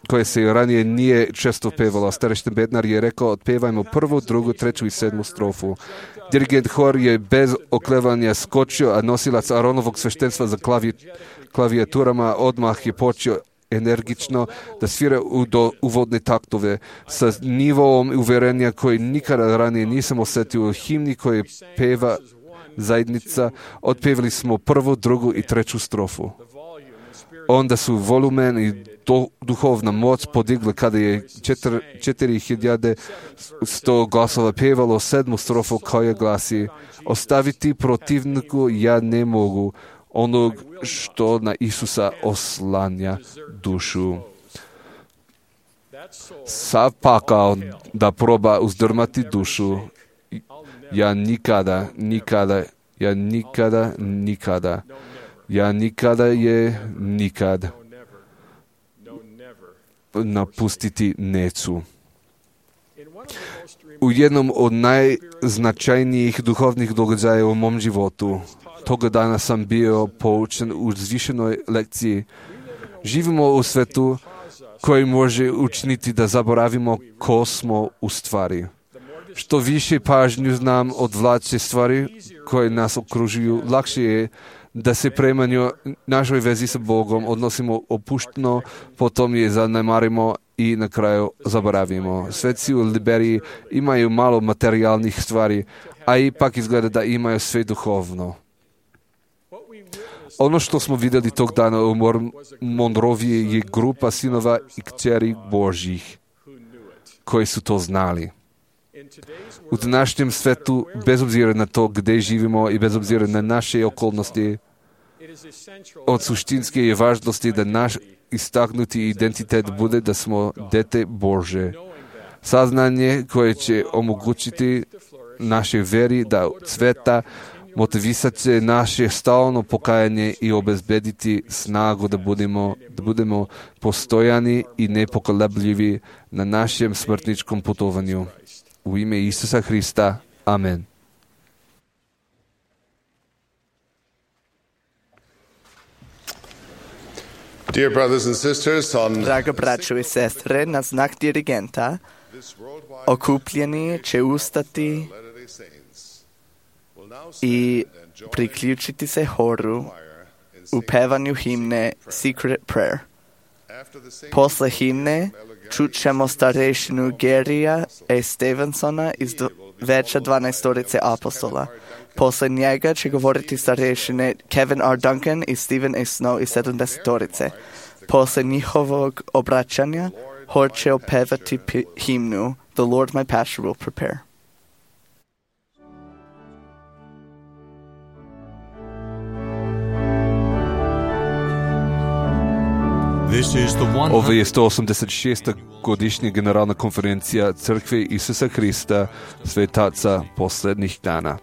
koje se ranije nije često pevalo. Starišin Bednar je rekao, otpevajmo 1., 2., 3. i 7. strofu. Dirigent hor je bez oklevanja skočio, a nosilac Aronovog sveštenstva za klavijaturama odmah je počeo energično da svira uvodne taktove sa nivoom uvjerenja koji nikada ranije nisam osjetio u himni koje peva zajednica. Otpevali smo 1., 2. i 3. strofu. Onda su volumen i duhovna moć podigli kada je 4.100 glasova pevalo 7. strofu koja glasi: ostaviti protivniku ja ne mogu, onog što na Isusa oslanja dušu. Sav pakao da proba uzdrmati dušu, ja nikada nikad napustiti neću. U jednom od najznačajnijih duhovnih događaja u mom životu, toga dana sam bio poučen u zvišenoj lekciji. Živimo u svetu koji može učiniti da zaboravimo ko smo u stvari. Što više pažnju znam odvlače stvari koje nas okružuju, lakše je da se prema našoj vezi sa Bogom odnosimo opušteno, potom je zanemarimo i na kraju zaboravimo. Svetci u Liberiji imaju malo materijalnih stvari, a ipak izgleda da imaju sve duhovno. Ono što smo vidjeli tog dana u Monroviji je grupa sinova i kćeri Božjih koji su to znali. U današnjem svetu, bez obzira na to gdje živimo i bez obzira na naše okolnosti, od suštinske je važnosti da naš istaknuti identitet bude da smo dete Bože. Saznanje koje će omogućiti naše veri da cveta, motivisati naše stalno pokajanje i obezbediti snagu da budemo postojani i nepokolebljivi na našem smrtničkom putovanju. U ime Isusa Hrista. Amen. Dear brothers and sisters, Draga braćo i sestre, na znak dirigenta, okupljeni će ustati i priključiti se horu u pevanju himne Secret Prayer. Posle himne čut ćemo starešinu Gerija E. Stevensona iz veća 12 apostola. Posle njega će govoriti starešine Kevin R. Duncan i Stephen A. Snow iz 70. Posle njihovog obraćanja hor će opevati himnu The Lord my pasture will prepare. Ovo je 186. godišnja generalna konferencija Crkve Isusa Hrista, svetaca posljednjih dana.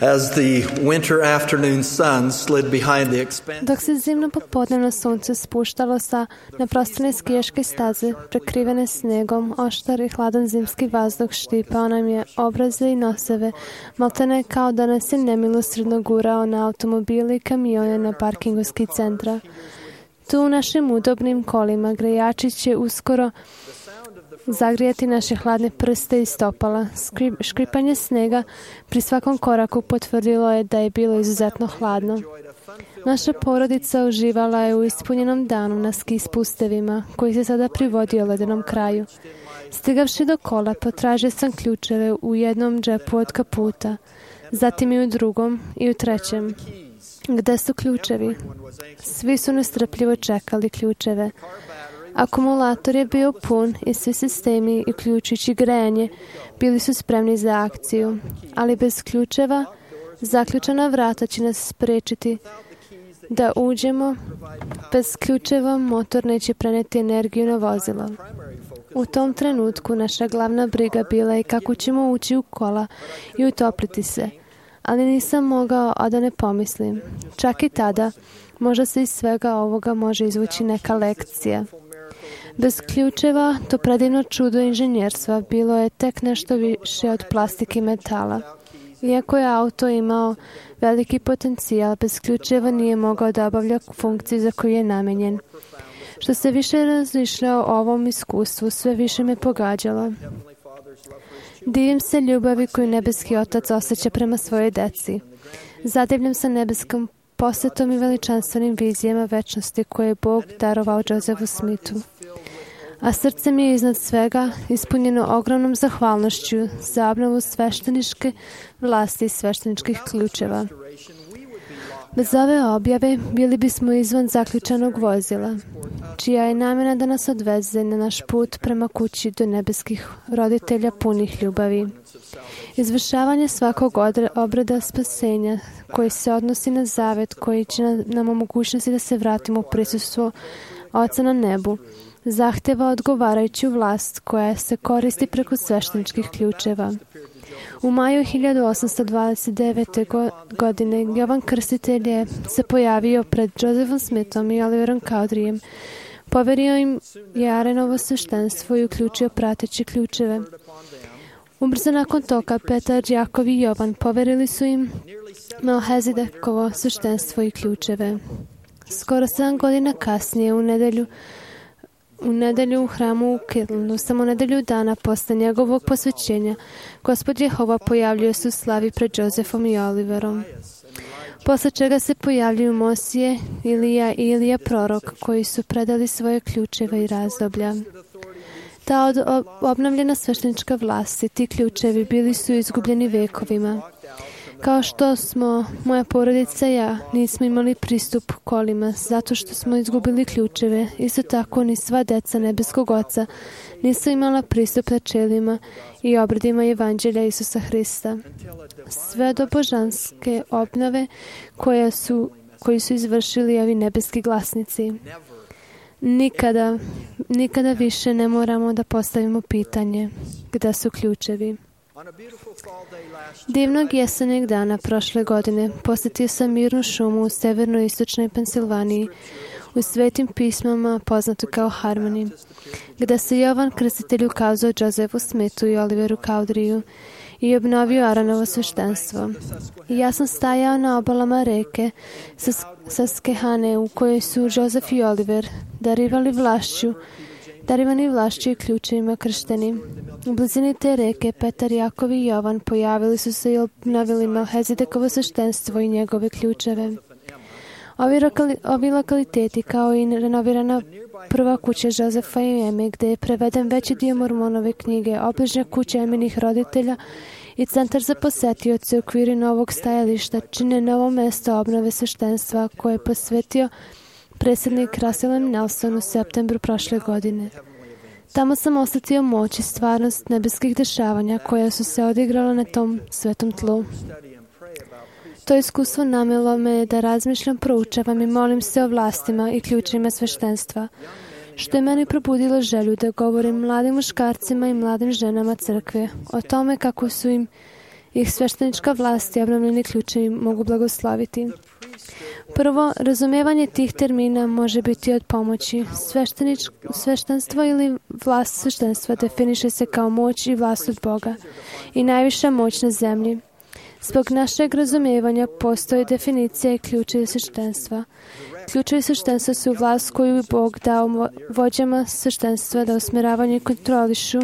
As the winter afternoon sun slid behind the expanse. Dok se zimno popodnevno sunce spuštalo sa neprostranne skijaške staze, prekrivene snegom, oštar i hladan zimski vazduh štipao nam je obraze i noseve, maltene kao da nas je nemilosrdno gurao na automobile i kamione na parkingu ski centra. Tu u našim udobnim kolima grejači će uskoro zagrijati naše hladne prste i stopala. Škripanje snega pri svakom koraku potvrdilo je da je bilo izuzetno hladno. Naša porodica uživala je u ispunjenom danu na ski spustevima, koji se sada privodio ledenom kraju. Stigavši do kola, potražio sam ključeve u jednom džepu od kaputa, zatim i u drugom i u trećem. Gde su ključevi? Svi su nestrpljivo čekali ključeve. Akumulator je bio pun i svi sistemi, uključujući grejanje, bili su spremni za akciju, ali bez ključeva zaključana vrata će nas spriječiti da uđemo. Bez ključeva motor neće preneti energiju na vozilo. U tom trenutku naša glavna briga bila je kako ćemo ući u kola i utopliti se, ali nisam mogao, a da ne pomislim. Čak i tada, možda se iz svega ovoga može izvući neka lekcija. Bez ključeva, to predivno čudo inženjerstva bilo je tek nešto više od plastike i metala. Iako je auto imao veliki potencijal, bez ključeva nije mogao da obavlja funkciju za koju je namenjen. Što se više razmišljao o ovom iskustvu, sve više me pogađalo. Divim se ljubavi koju nebeski otac osjeća prema svojoj deci. Zadivljam se nebeskom posvetom i veličanstvenim vizijama večnosti koje je Bog darovao Josefu Smithu. A srce mi je iznad svega ispunjeno ogromnom zahvalnošću za obnovu svešteničke vlasti i svešteničkih ključeva. Bez ove objave bili bismo izvan zaključanog vozila, čija je namjena da nas odveze na naš put prema kući do nebeskih roditelja punih ljubavi. Izvršavanje svakog obreda spasenja koji se odnosi na zavet koji će nam omogućnosti da se vratimo u prisustvo Oca na nebu, zahteva odgovarajuću vlast koja se koristi preko svešteničkih ključeva. U maju 1829. godine Jovan Krstitelj je se pojavio pred Josephom Smithom i Oliverom Cowderyjem. Poverio im je Arenovo sveštenstvo i uključio prateće ključeve. Ubrzo nakon toga Petar, Jakov i Jovan poverili su im Melhizedekovo sveštenstvo i ključeve. Skoro 7 godina kasnije, u nedelju u hramu u Kirtlandu, samo nedelju dana posle njegovog posvećenja, Gospod Jehova pojavljuje se u slavi pred Josephom i Oliverom. Posle čega se pojavljuju Mosije, Ilija i Ilija prorok, koji su predali svoje ključeve i razdoblja. Ta obnovljena sveštenička vlast i ti ključevi bili su izgubljeni vekovima. Kao što smo, moja porodica i ja, nismo imali pristup kolima zato što smo izgubili ključeve. Isto tako ni sva deca nebeskog Oca nisu imala pristup načelima i obredima Evanđelja Isusa Hrista. Sve do božanske obnove koji su izvršili ovi nebeski glasnici. Nikada više ne moramo da postavimo pitanje gde su ključevi. Divnog jesenjeg dana prošle godine posjetio sam mirnu šumu u severno-istočnoj Pensilvaniji, u Svetim pismama poznatu kao Harmony, gde se Jovan Krstitelj ukazao Josephu Smithu i Oliveru Cowderyu i obnovio Aronovo sveštenstvo. I ja sam stajao na obalama reke Susquehanne u kojoj su Joseph i Oliver darivani vlašću i ključevima kršteni. U blizini te reke Petar, Jakov i Jovan pojavili su se i obnovili Melhizedekovo sveštenstvo i njegove ključeve. Ovi lokaliteti, kao i renovirana prva kuća Josefa i Eme, gde je preveden veći dio Mormonove knjige, obližnja kuća Eminih roditelja i centar za posetioce u okviru novog stajališta, čine novo mesto obnove sveštenstva koje je posvetio predsjednik Russell M. Nelson u septembru prošle godine. Tamo sam osjetio moć i stvarnost nebeskih dešavanja koja su se odigrala na tom svetom tlu. To iskustvo namelo me da razmišljam, proučavam i molim se o vlastima i ključima sveštenstva, što je meni probudilo želju da govorim mladim muškarcima i mladim ženama crkve o tome kako su im ih sveštenička vlast i obnovljeni ključevi mogu blagoslaviti. Prvo, razumevanje tih termina može biti od pomoći. Sveštenstvo ili vlast sveštenstva definiše se kao moć i vlast od Boga i najviša moć na zemlji. Zbog našeg razumevanja postoji definicija i ključevi sveštenstva. Ključevi sveštenstva su vlast koju je Bog dao vođama sveštenstva da usmjeravaju i kontrolišu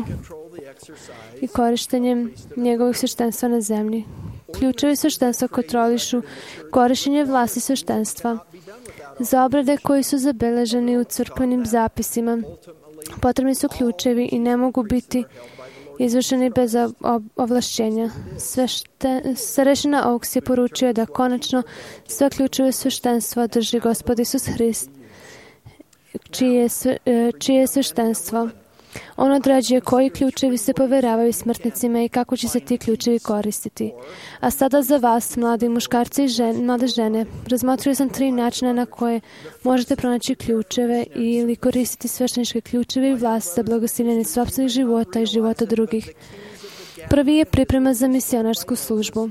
i korištenjem njegovih sveštenstva na zemlji. Ključevi sveštenstva kontrolišu korištenje vlasti sveštenstva. Za obrade koji su zabeleženi u crkvenim zapisima potrebni su ključevi i ne mogu biti izvršeni bez ovlašćenja. Starešina Oaks je poručio da konačno sve ključeve sveštenstva drži Gospod Isus Hrist, čije je sveštenstvo. On određuje koji ključevi se povjeravaju smrtnicima i kako će se ti ključevi koristiti. A sada za vas, mladi muškarci i mlade žene, razmotrio sam 3 načina na koje možete pronaći ključeve ili koristiti svešteničke ključeve i vlast za blagoslivljenje sopstvenih života i života drugih. Prvi je priprema za misionarsku službu.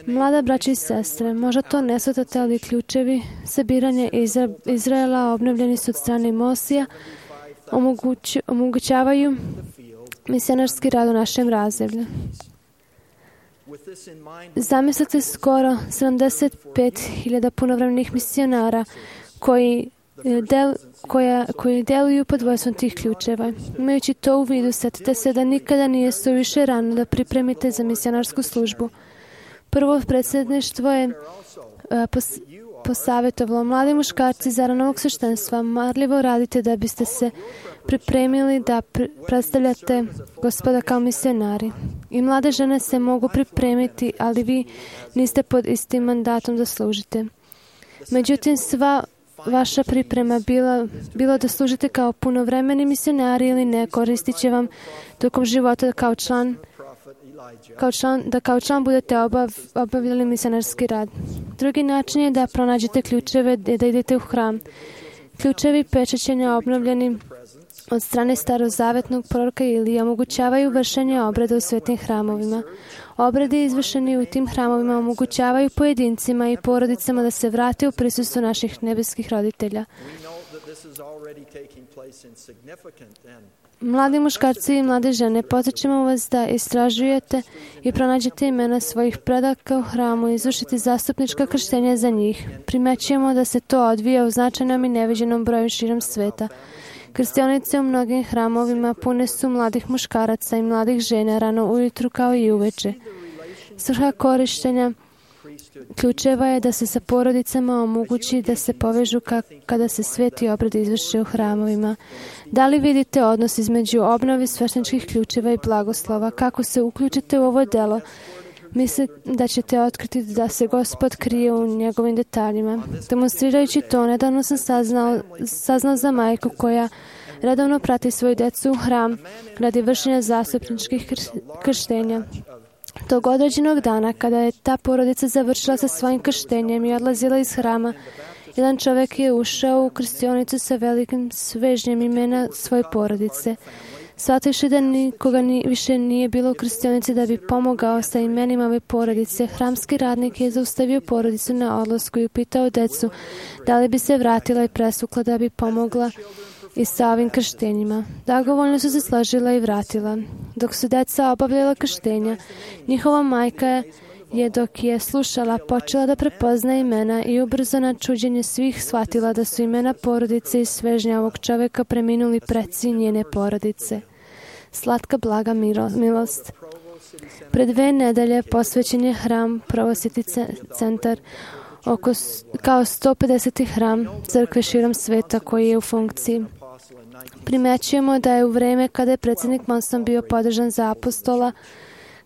Mlada braća i sestre, možda to ne shvatate, ali ključevi sabiranja Izraela obnovljeni su od strane Mosija, omogućavaju misionarski rad u našem razdoblju. Zamislite skoro 75.000 punovremnih misionara koji deluju pod vojstvom tih ključeva. Imajući to u vidu, setite se da nikada nije suviše rano da pripremite za misionarsku službu. Prvo predsjedništvo je posavjetovalo mladi muškarci za ranog sveštenstva. Marljivo radite da biste se pripremili da predstavljate Gospoda kao misionari. I mlade žene se mogu pripremiti, ali vi niste pod istim mandatom da služite. Međutim, sva vaša priprema bilo da služite kao punovremeni misionari ili ne, koristit će vam tokom života kao član budete obavljali misionarski rad. Drugi način je da pronađete ključeve i da idete u hram. Ključevi pečaćenja obnovljeni od strane starozavetnog proroka Ilije omogućavaju vršenje obreda u svetim hramovima. Obredi izvršeni u tim hramovima omogućavaju pojedincima i porodicama da se vrate u prisustvo naših nebeskih roditelja. Mladi muškarci i mlade žene, podsjećamo vas da istražujete i pronađete imena svojih predaka u hramu i izvršite zastupnička krštenja za njih. Primećujemo da se to odvija u značajnom i neviđenom broju širom sveta. Krstionice u mnogim hramovima pune su mladih muškaraca i mladih žena rano ujutru kao i uveče. Svrha korištenja ključeva je da se sa porodicama omogući da se povežu kada se sveti obred izvrše u hramovima. Da li vidite odnos između obnovi svešteničkih ključeva i blagoslova? Kako se uključite u ovo delo? Mislim da ćete otkriti da se Gospod krije u njegovim detaljima. Demonstrirajući to, nedavno sam saznao za majku koja redovno prati svoju decu u hram radi vršenja zastupničkih krštenja. Tog određenog dana, kada je ta porodica završila sa svojim krštenjem i odlazila iz hrama, jedan čovjek je ušao u krstionicu sa velikim svežnjem imena svoje porodice. Shvativši da nikoga više nije bilo u krstionici da bi pomogao sa imenima ove porodice, hramski radnik je zaustavio porodicu na odlasku i upitao decu da li bi se vratila i presukla da bi pomogla i sa ovim krštenjima. Dragovoljno su se složila i vratila. Dok su deca obavljala krštenja, njihova majka je, dok je slušala, počela da prepozna imena i ubrzo na čuđenje svih shvatila da su imena porodice i svežnja ovog čovjeka preminuli preci njene porodice. Slatka blaga milost. Pred 2 nedelje posvećen je hram Provositi centar kao 150. hram crkve širom sveta koji je u funkciji. Primećujemo da je u vreme kada je predsjednik Monson bio podržan za apostola,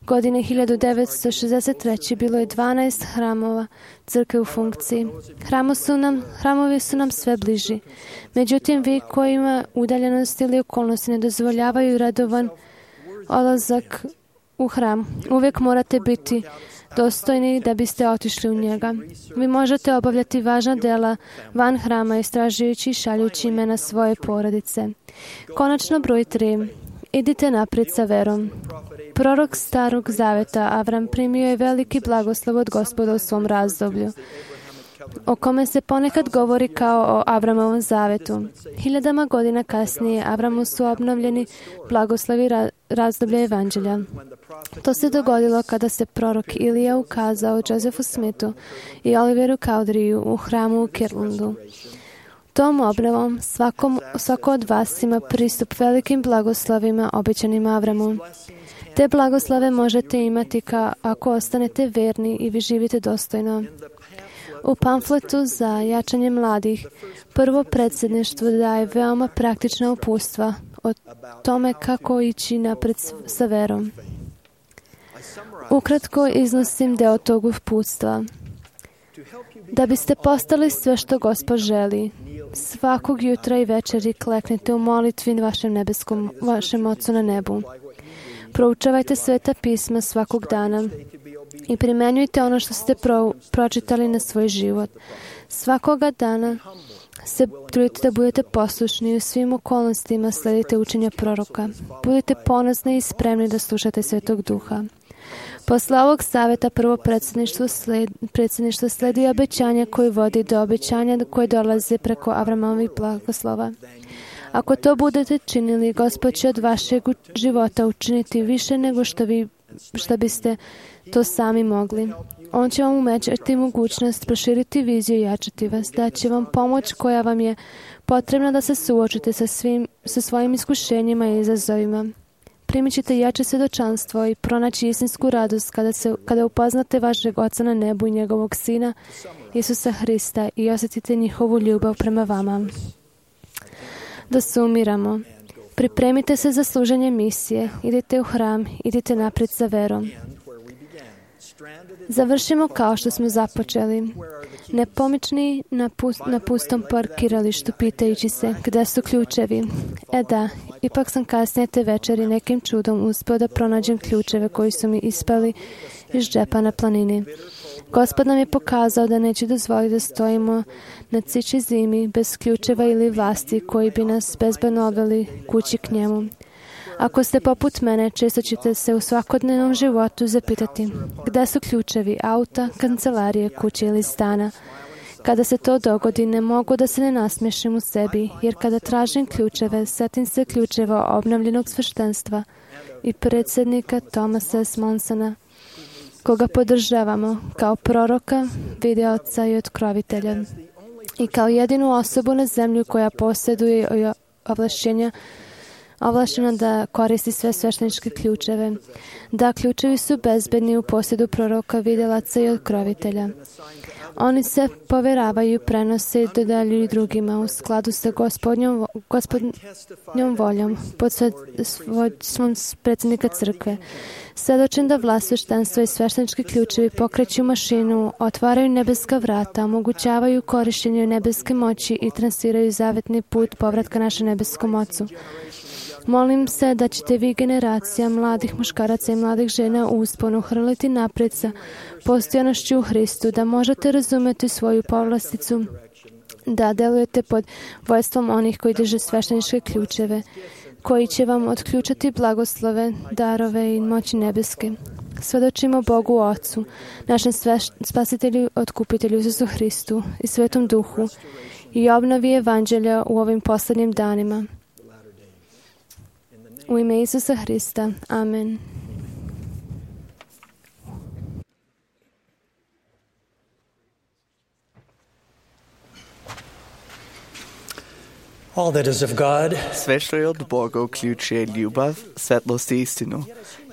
godine 1963. bilo je 12 hramova crkve u funkciji. Hramovi su nam sve bliži. Međutim, vi kojima udaljenost ili okolnosti ne dozvoljavaju redovan odlazak u hram, uvijek morate biti dostojni da biste otišli u njega. Vi možete obavljati važna dela van hrama istražujući i šaljući imena svoje porodice. Konačno broj 3. Idite naprijed sa verom. prorok Starog Zaveta, Avram primio je veliki blagoslov od Gospoda u svom razdoblju, o kome se ponekad govori kao o Avramovom zavetu. Hiljadama godina kasnije Avramu su obnovljeni blagoslovi razdoblja evanđelja. To se dogodilo kada se prorok Ilija ukazao Josephu Smithu i Oliveru Cowderiju u hramu u Kirtlandu. Tom obnovom svako od vas ima pristup velikim blagoslovima obećanim Avramu. Te blagoslove možete imati ako ostanete verni i vi živite dostojno. U pamfletu za jačanje mladih, prvo predsjedništvo daje veoma praktična uputstva o tome kako ići napred sa verom. Ukratko iznosim deo tog uputstva. Da biste postali sve što Gospod želi, svakog jutra i večeri kleknite u molitvi vašem Ocu na nebu. Proučavajte Sveta pisma svakog dana i primenjujte ono što ste pročitali na svoj život. Svakoga dana se trudite da budete poslušni i u svim okolnostima sledite učenja proroka. Budite ponosni i spremni da slušate Svetog Duha. Posle ovog saveta prvo predsjedništvo sledi obećanja koje vodi do obećanja koje dolaze preko Avramovih blagoslova. Ako to budete činili, Gospod će od vašeg života učiniti više nego što biste to sami mogli. On će vam umećati mogućnost, proširiti viziju i jačati vas. Daće vam pomoć koja vam je potrebna da se suočite sa svojim iskušenjima i izazovima. Primit ćete jače svjedočanstvo i pronaći istinsku radost kada upoznate vašeg Oca na nebu i njegovog Sina, Isusa Hrista, i osjetite njihovu ljubav prema vama. Da sumiramo. Pripremite se za služenje misije. Idite u hram, idite naprijed sa verom. Završimo kao što smo započeli. Nepomični na pustom parkiralištu pitajući se gdje su ključevi. Da, ipak sam kasnije te večeri nekim čudom uspio da pronađem ključeve koji su mi ispali iz džepa na planini. Gospod nam je pokazao da neće dozvoliti da stojimo na ciči zimi bez ključeva ili vlasti koji bi nas bezbedno odveli kući k njemu. Ako ste poput mene, često ćete se u svakodnevnom životu zapitati gdje su ključevi auta, kancelarije, kuće ili stana. Kada se to dogodi, ne mogu da se ne nasmiješim u sebi, jer kada tražim ključeve, setim se ključeva obnovljenog sveštenstva i predsjednika Thomasa S. Monsona, koga podržavamo kao proroka, videoca i otkrovitelja i kao jedinu osobu na zemlju koja posjeduje ovlaštena da koristi sve svešteničke ključeve. Da, ključevi su bezbedni u posjedu proroka, vidjelaca i otkrovitelja. Oni se poveravaju, prenose i dodaljuju drugima u skladu sa gospodnjom voljom pod svom predsjednika crkve. Svedočim da vlast sveštenstva i sveštenički ključevi pokreću mašinu, otvaraju nebeska vrata, omogućavaju korištenje nebeske moći i transiraju zavetni put povratka našem nebeskom Ocu. Molim se da ćete vi, generacija mladih muškaraca i mladih žena, u usponu hrliti napred sa postojanošću u Hristu, da možete razumjeti svoju povlasticu, da delujete pod vojstvom onih koji drže svešteničke ključeve, koji će vam otključati blagoslove, darove i moći nebeske. Svedočimo Bogu Ocu, našem spasitelju, otkupitelju Isusu Hristu i Svetom Duhu i obnovi evanđelja u ovim posljednjim danima. U ime Isusa Hrista. Amen. All that is of God. Sve što je od Boga uključuje ljubav, svetlost i istinu.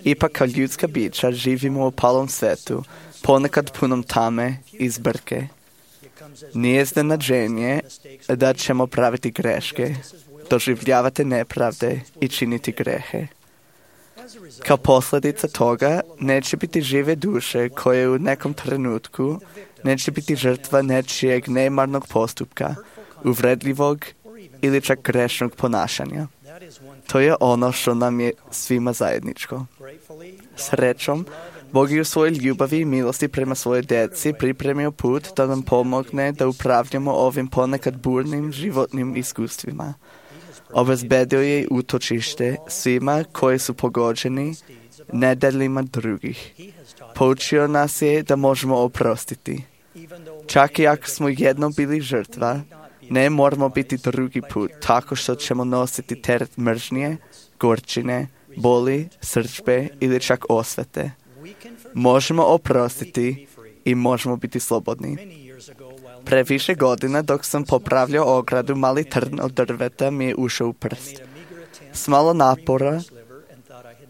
Ipak kao ljudska bića živimo u opalom svetu, ponekad punom tame i zbrke. Nije iznenađenje da ćemo praviti greške, doživljavati nepravde i činiti grehe. Kao posljedica toga neće biti žive duše koje u nekom trenutku neće biti žrtva nečijeg nemarnog postupka, uvredljivog ili čak grešnog ponašanja. To je ono što nam je svima zajedničko. Srećom, Bog je u svojoj ljubavi i milosti prema svojoj djeci pripremio put da nam pomogne da upravljamo ovim ponekad burnim životnim iskustvima. Obezbedio je utočište svima koji su pogođeni nedeljima drugih. Poučio nas je da možemo oprostiti. Čak i ako smo jednom bili žrtva, ne moramo biti drugi put tako što ćemo nositi teret mržnje, gorčine, boli, srdžbe ili čak osvete. Možemo oprostiti i možemo biti slobodni. Pre više godina dok sam popravljao ogradu, mali trn od drveta mi je ušao u prst. S malo napora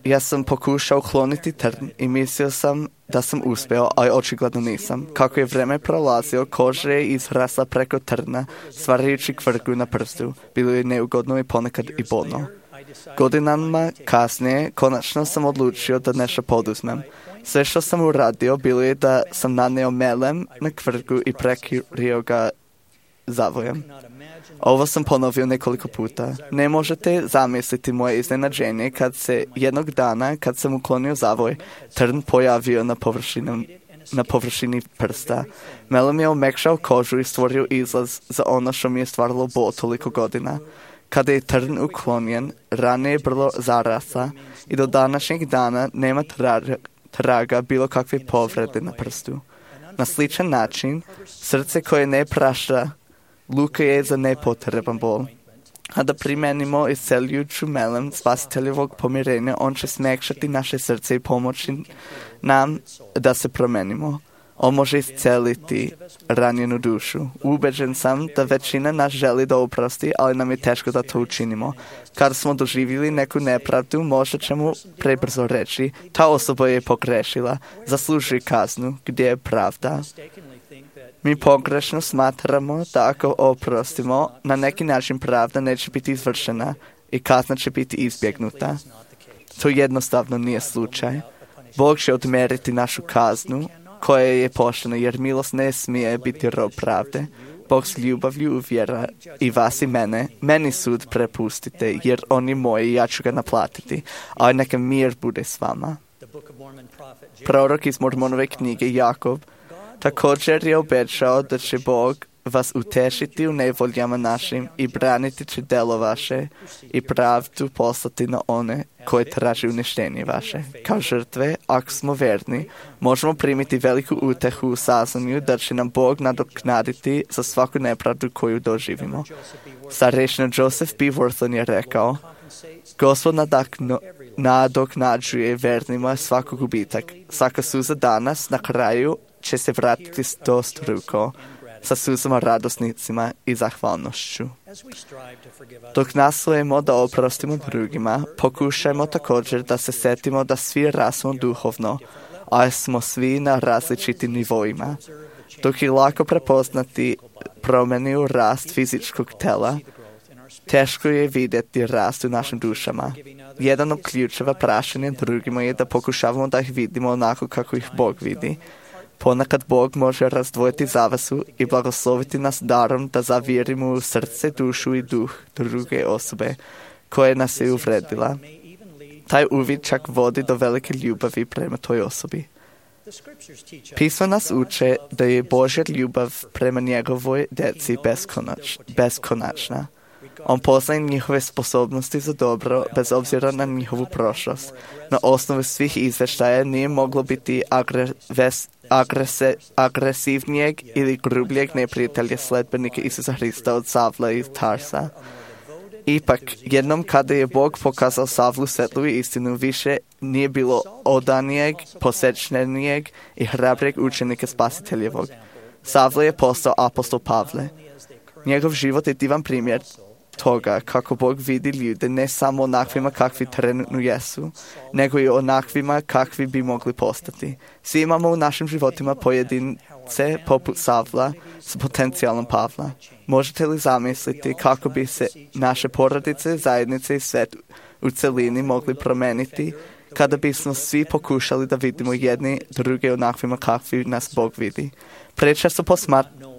ja sam pokušao ukloniti trn i mislio sam da sam uspeo, ali očigledno nisam. Kako je vreme prolazio, koža je izrasla preko trna, stvarajući kvrgu na prstu. Bilo je neugodno i ponekad i bolno. Godinama kasnije, konačno sam odlučio da nešto poduzmem. Sve što sam uradio bilo je da sam naneo melem na kvrgu i prekrio ga zavojem. Ovo sam ponovio nekoliko puta. Ne možete zamisliti moje iznenađenje kad se jednog dana, kad sam uklonio zavoj, trn pojavio na površini prsta. Melem je omekšao kožu i stvorio izlaz za ono što mi je stvaralo bol toliko godina. Kada je trn uklonjen, rana je brzo zarasla i do današnjeg dana nema traga bilo kakve povrede na prstu. Na sličan način, srce koje ne prašta luka je za nepotreban bol. A da primenimo isceljujuću melem spasiteljevog pomirenja, on će smekšati naše srce i pomoći nam da se promenimo. On može isceliti ranjenu dušu. Ubeđen sam da većina nas želi da oprosti, ali nam je teško da to učinimo. Kada smo doživjeli neku nepravdu, možda ćemo prebrzo reći, ta osoba je pogrešila, zaslužuje kaznu, gdje je pravda. Mi pogrešno smatramo da ako oprostimo, na neki način pravda neće biti izvršena i kazna će biti izbjegnuta. To jednostavno nije slučaj. Bog će odmeriti našu kaznu, koja je poštena, jer milost ne smije biti rob pravde. Bog s ljubavlju uvjera i vas i meni sud prepustite, jer on je moj i ja ću ga naplatiti, ali neka mir bude s vama. Prorok iz Mormonove knjige Jakov također je obećao da će Bog vas utešiti u nevoljama našim i braniti će delo vaše i pravdu poslati na one koje traži uništenje vaše. Kao žrtve, ako smo verni, možemo primiti veliku utehu u saznanju da će nam Bog nadoknaditi za svaku nepravdu koju doživimo. Starešina Joseph B. Worthland je rekao, Gospod nadoknađuje vernima svaki gubitak. Svaka suza danas na kraju će se vratiti stostruko sa suzama radosnicima i zahvalnošću. Dok nastojimo da oprostimo drugima, pokušajmo također da se setimo da svi rasmo duhovno, a smo svi na različitim nivoima. Dok je lako prepoznati promjenu rast fizičkog tela, teško je vidjeti rast u našim dušama. Jedan od ključeva prašenja drugima je da pokušavamo da ih vidimo onako kako ih Bog vidi. Ponekad Bog može razdvojiti zavasu i blagosloviti nas darom da zavjerimo u srce, dušu i duh druge osobe koje nas je uvredila. Taj uvid čak vodi do velike ljubavi prema toj osobi. Pismo nas uče da je Božja ljubav prema njegovoj djeci beskonačna. On poznaje njihove sposobnosti za dobro bez obzira na njihovu prošlost. Na osnovu svih izvještaja nije moglo biti agresivnijeg ili grubljeg neprijatelja sledbenike Isusa Hrista od Savla iz Tarsa. Ipak, jednom kada je Bog pokazao Savlu svetlu i istinu, više nije bilo odanijeg, posečnenijeg i hrabrijeg učenika Spasiteljevog. Savla je postao apostol Pavle. Njegov život je divan primjer toga kako Bog vidi ljude ne samo onakvima kakvi trenutno jesu, nego i onakvima kakvi bi mogli postati. Svi imamo u našim životima pojedince poput Savla s potencijalom Pavla. Možete li zamisliti kako bi se naše porodice, zajednice i svet u celini mogli promeniti kada bismo svi pokušali da vidimo jedni druge onakvima kakvi nas Bog vidi? Prečesto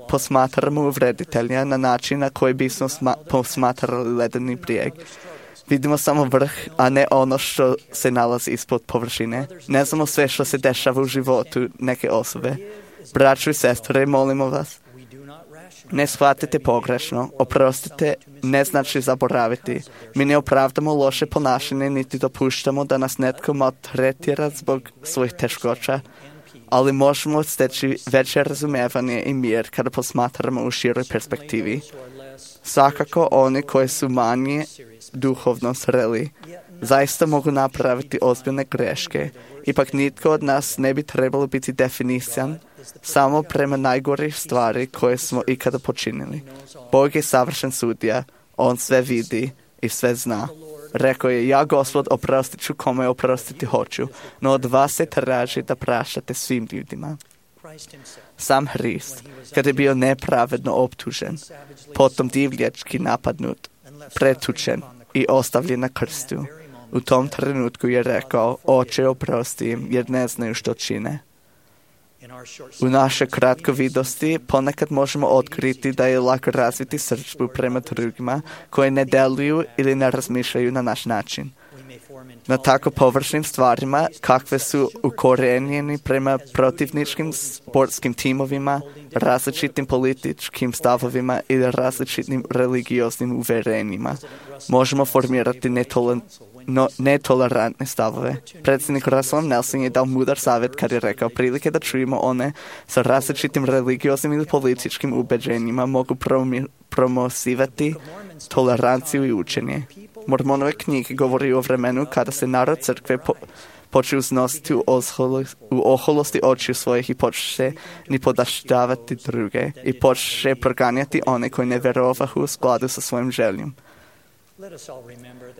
posmatramo uvreditelja na način na koji bismo posmatrali ledeni brijeg. Vidimo samo vrh, a ne ono što se nalazi ispod površine. Ne znamo sve što se dešava u životu neke osobe. Braćo i sestre, molimo vas, Ne shvatite pogrešno, oprostite ne znači zaboraviti. Mi ne opravdamo loše ponašanje niti dopuštamo da nas netko maltretira zbog svojih teškoća, ali možemo steći veće razumevanje i mir kada posmatramo u široj perspektivi. Svakako oni koji su manje duhovno zreli zaista mogu napraviti ozbiljne greške. Ipak nitko od nas ne bi trebalo biti definisan samo prema najgorih stvari koje smo ikada počinili. Bog je savršen sudija, On sve vidi i sve zna. Rekao je, ja Gospod oprostit ću kome oprostiti hoću, no od vas se traži da praštate svim ljudima. Sam Hrist, kad je bio nepravedno optužen, potom divljački napadnut, pretučen i ostavljen na krstu, u tom trenutku je rekao, Oče oprosti im jer ne znaju što čine. U našoj kratkovidosti ponekad možemo otkriti da je lako razviti srdžbu prema drugima koji ne deluju ili ne razmišljaju na naš način. Na tako površnim stvarima kakve su ukorenjeni prema protivničkim sportskim timovima, različitim političkim stavovima ili različitim religioznim uverenjima, možemo formirati netolerantne stavove. Predsjednik Russell Nelson je dao mudar savjet kad je rekao, prilike da čujemo one sa različitim religioznim ili političkim ubeđenjima mogu promosivati toleranciju i učenje. Mormonove knjige govori o vremenu kada se narod crkve počeo uznositi u oholosti očiju svojih i počeše ni podaštavati druge i počeše proganjati one koji ne vjerovahu u skladu sa svojim željom.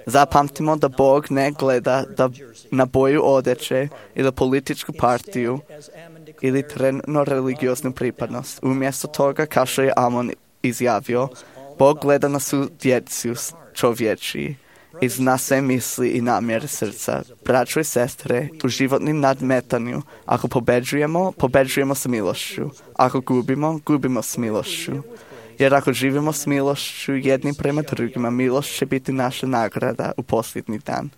Zapamtimo da Bog ne gleda na boju odeće ili političku partiju ili trenutno religioznu pripadnost. Umjesto toga, kao što je Amon izjavio, Bog gleda na sudjeciju čovječiji i zna sve misli i namjere srca. Braćo i sestre, u životnim nadmetanju, ako pobeđujemo s milošću. Ako gubimo s milošću. Jer ako živimo s milošću jedni prema drugima, milost će biti naša nagrada u posljednji dan.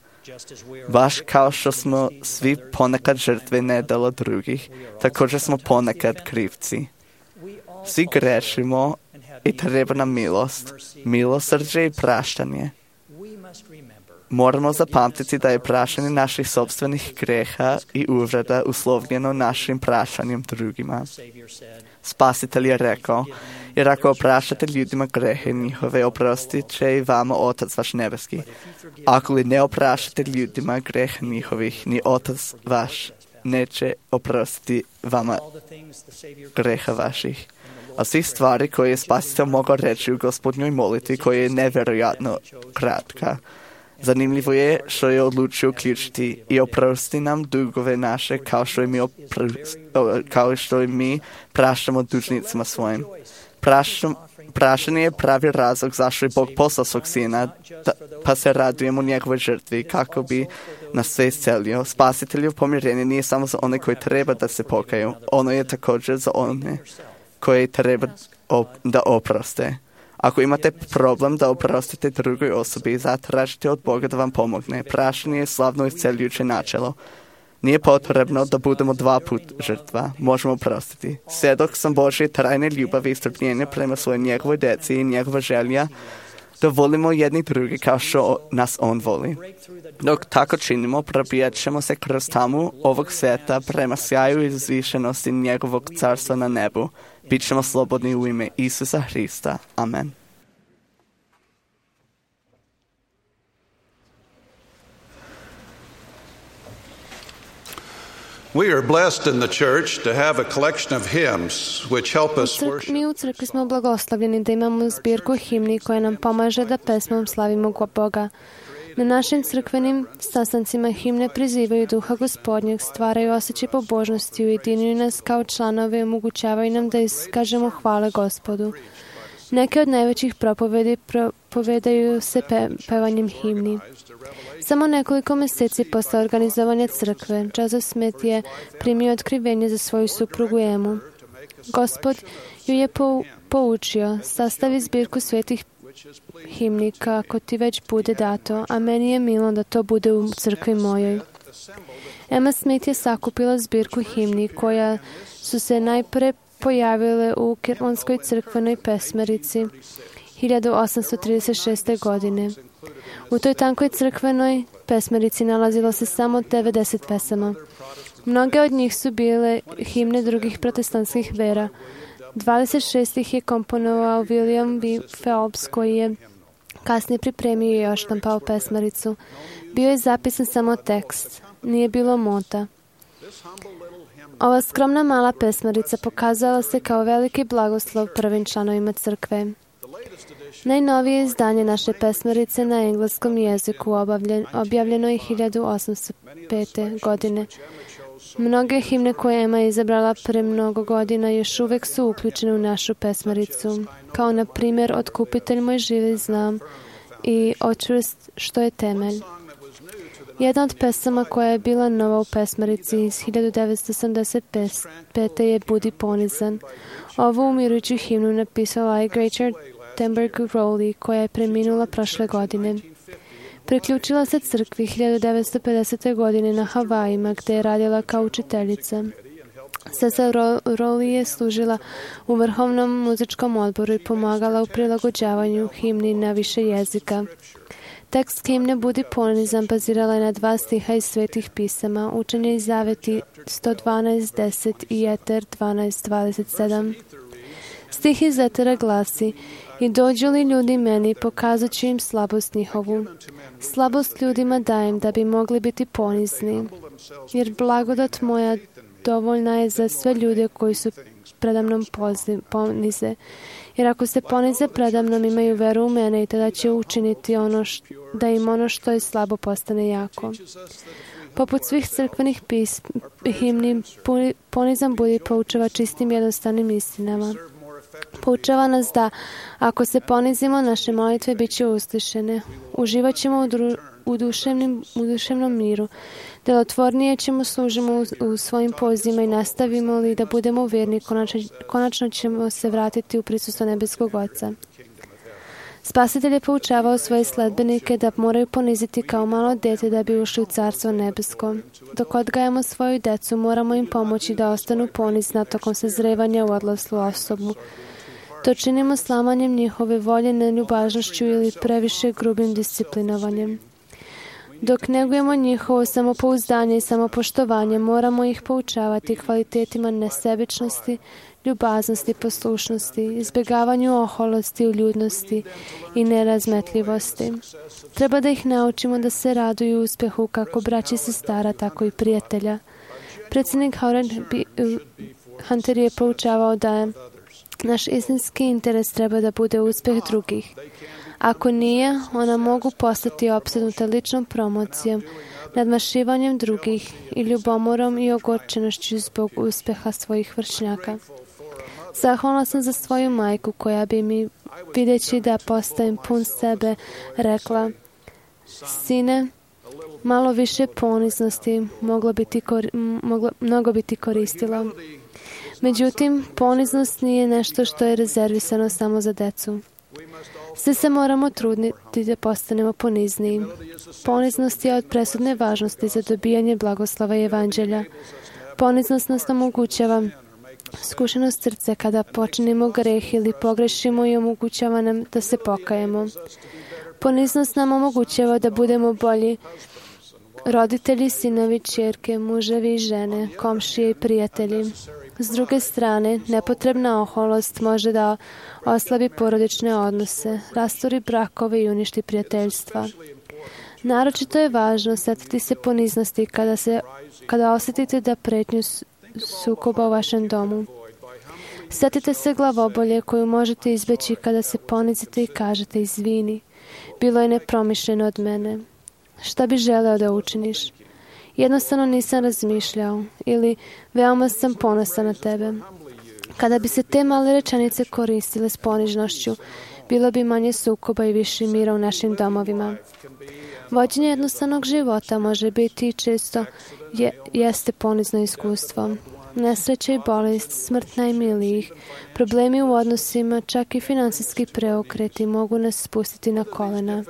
Baš kao što smo svi ponekad žrtve nedjela drugih, također smo ponekad krivci. Svi grešimo i treba nam milost, milosrđe i praštanje. Moramo zapamtiti da je praštanje naših sopstvenih greha i uvreda uslovljeno našim praštanjem drugima. Spasitelj je rekao, jer ako opraštate ljudima grehe njihove, oprostit će i vama Otac vaš nebeski. Ako li ne opraštate ljudima grehe njihovih, ni Otac vaš neće oprostiti vama greha vaših. A svih stvari koje je Spasitelj mogao reći u Gospodnjoj molitvi, koja je nevjerojatno kratka. Zanimljivo je što je odlučio uključiti i oprosti nam dugove naše kao što i mi praštamo dužnicima svojim. Praštanje je pravi razlog zašto je Bog poslao svog sina, pa se radujemo njegovoj žrtvi kako bi nas sve iscelio. Spasiteljev pomirenje nije samo za one koji treba da se pokaju, ono je također za one koji treba da oproste. Ako imate problem da oprostite drugoj osobi, zatražite od Boga da vam pomogne. Praštanje je slavno isceljujuće načelo. Nije potrebno da budemo 2 puta žrtva. Možemo oprostiti. Svjedok sam Božje trajne ljubavi i strpljenja prema svojoj njegovoj djeci i njegova želja da volimo jedni drugi kao što nas On voli. Dok tako činimo, probijat ćemo se kroz tamu ovog svijeta prema sjaju i uzvišenosti njegovog carstva na nebu. Bićemo slobodni u ime Isusa Hrista. Amen. We are blessed in the church to have a collection of hymns which help us worship. Mi u crkvi smo blagoslovljeni da imamo zbirku himni koja nam pomaže da pesmom slavimo Boga. Na našim crkvenim sastancima himne prizivaju duha Gospodnjeg, stvaraju osjećaj pobožnosti, ujedinjuju nas kao članove i omogućavaju nam da iskažemo hvale Gospodu. Neke od najvećih propovedi propovedaju se pevanjem himni. Samo nekoliko mjeseci posle organizovanja crkve, Joseph Smith je primio otkrivenje za svoju suprugu Emu. Gospod ju je poučio, sastavi zbirku svetih himni kako ti već bude dato, a meni je milo da to bude u crkvi mojoj. Emma Smith je sakupila zbirku himni koja su se najpre pojavile u Kirmonskoj crkvenoj pesmerici 1836. godine. U toj tankoj crkvenoj pesmerici nalazilo se samo 90 pesama. Mnoge od njih su bile himne drugih protestantskih vera. 26 ih je komponovao William B. Phelps, koji je kasnije pripremio i oštampao pesmaricu. Bio je zapisan samo tekst, nije bilo mota. Ova skromna mala pesmarica pokazala se kao veliki blagoslov prvim članovima crkve. Najnovije izdanje naše pesmarice na engleskom jeziku objavljeno je 1805. godine. Mnoge himne koje Emma izabrala pre mnogo godina još uvek su uključene u našu pesmaricu, kao na primjer Otkupitelj moj živi znam i Očvrst što je temelj. Jedna od pesama koja je bila nova u pesmarici iz 1975. je Budi ponizan. Ovu umirujuću himnu napisala je Gretchen Thunberg Rowley, koja je preminula prošle godine. Priključila se crkvi 1950. godine na Havajima, gde je radila kao učiteljica. Sestra Rowley je služila u Vrhovnom muzičkom odboru i pomagala u prilagođavanju himni na više jezika. Tekst himne Budi ponizan bazirala je na 2 stiha iz svetih pisama, Učenje i zaveti 112.10 i Eter 12.27. Stih iz Etera glasi: I dođu li ljudi meni, pokazat ću im slabost njihovu. Slabost ljudima dajem da bi mogli biti ponizni, jer blagodat moja dovoljna je za sve ljude koji su predamnom ponize. Jer ako se ponize predamnom, imaju veru u mene i tada će učiniti da im ono što je slabo postane jako. Poput svih crkvenih himni, ponizan budi poučava čistim jednostavnim istinama. Poučava nas da, ako se ponizimo, naše molitve bit će uslišene. Uživat ćemo u duševnom miru. Delotvornije ćemo služimo u svojim pozima i nastavimo li da budemo vjerni, konačno ćemo se vratiti u prisustvo nebeskog Oca. Spasitelj je poučavao svoje sledbenike da moraju poniziti kao malo dete da bi ušli u Carstvo nebesko. Dok odgajamo svoju decu, moramo im pomoći da ostanu ponizna tokom sazrevanja u odraslu osobu. To činimo slamanjem njihove volje, neljubažnošću ili previše grubim disciplinovanjem. Dok negujemo njihovo samopouzdanje i samopoštovanje, moramo ih poučavati kvalitetima nesebičnosti, ljubaznosti, poslušnosti, izbjegavanju oholosti, uljudnosti i nerazmetljivosti. Treba da ih naučimo da se raduju uspjehu kako braći i sestara, tako i prijatelja. Predsjednik Howard Hunter je poučavao da je naš istinski interes treba da bude uspjeh drugih. Ako nije, ona mogu postati opsednuta ličnom promocijom, nadmašivanjem drugih i ljubomorom i ogorčenošću zbog uspjeha svojih vršnjaka. Zahvalna sam za svoju majku koja bi mi, videći da postajem pun sebe, rekla: Sine, malo više poniznosti mnogo bi ti koristilo. Međutim, poniznost nije nešto što je rezervisano samo za decu. Svi se moramo truditi da postanemo ponizniji. Poniznost je od presudne važnosti za dobijanje blagoslova i evanđelja. Poniznost nas omogućava skušenost srce kada počinimo greh ili pogrešimo i omogućava nam da se pokajemo. Poniznost nam omogućava da budemo bolji roditelji, sinovi, ćerke, muževi i žene, komšije i prijatelji. S druge strane, nepotrebna oholost može da oslabi porodične odnose, rasturi brakove i uništi prijateljstva. Naročito je važno setiti se poniznosti kada osjetite da pretnju sukoba u vašem domu. Setite se glavobolje koju možete izbeći kada se ponizite i kažete: izvini, bilo je nepromišljeno od mene. Šta bi želeo da učiniš? Jednostavno nisam razmišljao, ili veoma sam ponosan na tebe. Kada bi se te male rečenice koristile s ponižnošću, bilo bi manje sukoba i više mira u našim domovima. Vođenje jednostavnog života može biti i često jeste ponizno iskustvo. Nesreća i bolest, smrt najmilijih, problemi u odnosima, čak i finansijski preokreti mogu nas spustiti na kolena.